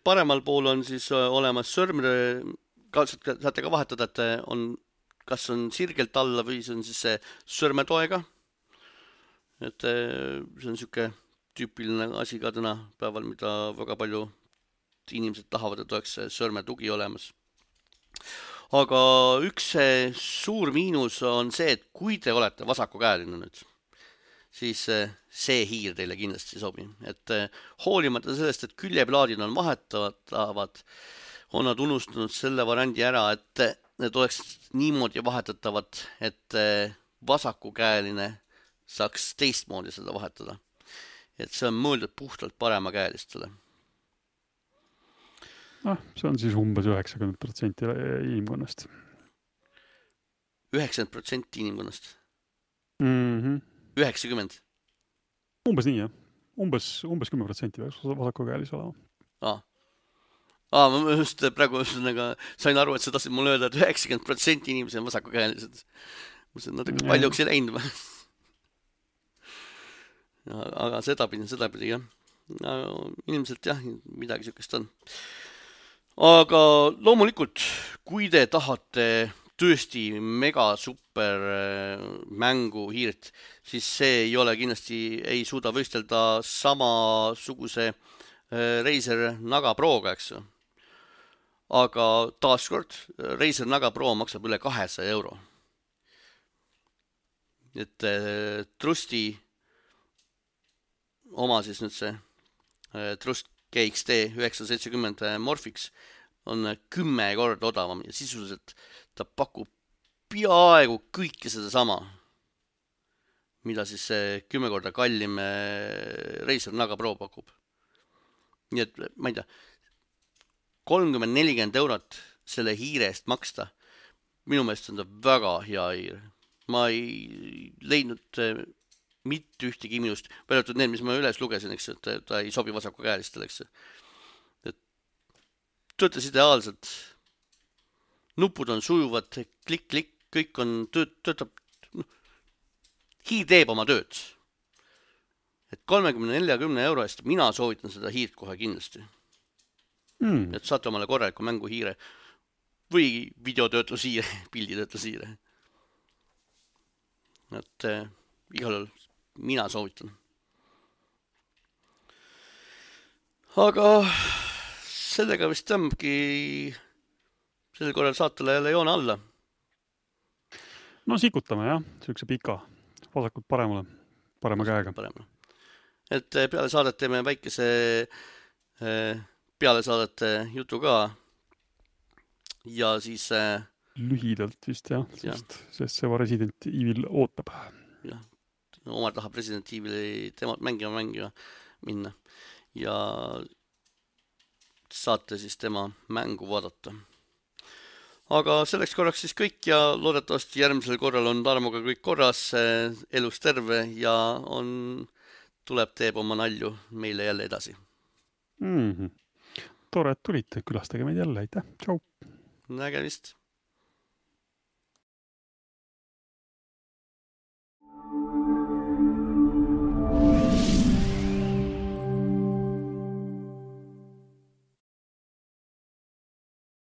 paremal pool on siis olemas sõrmede, saate ka vahetada, et on kas on sirgelt alla või see on siis see sõrmetoega. Et see on niisugune tüüpiline asi ka täna päeval, mida väga palju inimesed tahavad, et oleks sõrmetugi olemas. Aga üks suur miinus on see, et kui te olete vasakukäeline nüüd, siis see hiir teile kindlasti sobi. Et hoolimata sellest, et küljeplaadid on vahetavad, on nad unustanud selle variandi ära, et need oleks niimoodi vahetatavad, et vasakukäeline saaks teistmoodi seda vahetada. Et see on mõeldud puhtalt paremakäelistele. Ah, see on siis umbes üheksakümmend protsenti inimkonnast. üheksakümmend protsenti inimkonnast? Mm-hmm. üheksakümmend? Umbes nii, jah. Umbes, umbes kümme protsenti vasakukäelis olema. Aa. Aa, ma just praegu ühesõnaga sain aru, et sa tahtsid mulle öelda, et üheksakümmend protsenti inimesi on vasakukäelised. Ma ütlesin, natuke paljuks ei läinud. Aga sedapidi, sedapidi, jah. No, ilmselt jah, midagi sükest on. Aga loomulikult, kui te tahate tõesti mega super mängu hiirt, siis see ei ole kindlasti, ei suuda võistelda samasuguse Razer Naga Proga, eks. Aga taaskord, Razer Naga Pro maksab üle kahesaja euro. Et Trusti oma siis nüüd see Trust G X T üheksasada seitsekümmend Morphix on kümme korda odavam ja sisuliselt ta pakub peaaegu kõike seda sama, mida siis see kümme korda kallim Razer Naga Pro pakub. Nii et, ma ei tea, kolmkümmend nelikümmend eurot selle hiire eest maksta, minu meelest on ta väga hea hiir. Ma ei leidnud mitte ühtegi minust, väljatud need, mis ma üles lugesin, eks, et ta ei sobi vasaku käelistele, eks. Et töötas ideaalselt. Nupud on sujuvad, klik, klik, kõik on, töötab, hiir teeb oma tööd. Et kolmekümne nelikümne euro eest mina soovitan seda hiirt kohe kindlasti. Mm. Et saate omale korraliku mängu hiire või videotöötlushiire, pilditöötlushiire. Et äh, igal juhul mina soovitan. Aga sellega vist tõmbki sellel korral saatele jälle joone alla. No sikutame jah, sükse pika. Vasakult paremale, parema käega. Paremale. Et peale saadet teeme väikese peale saadete jutu ka. Ja siis... Lühidalt vist jah, sest, sest see Resident Evil ootab. Jah, Omar tahab Resident Evili temalt mängima mängima minna. Ja saate siis tema mängu vaadata. Aga selleks korraks siis kõik ja loodetavasti järgmisel korral on Tarmoga kõik korras, elus terve ja on, tuleb teeb oma nalju meile jälle edasi. Mm-hmm. Tore, et tulite, külastage meid jälle, aitäh, tšau! Nägemist!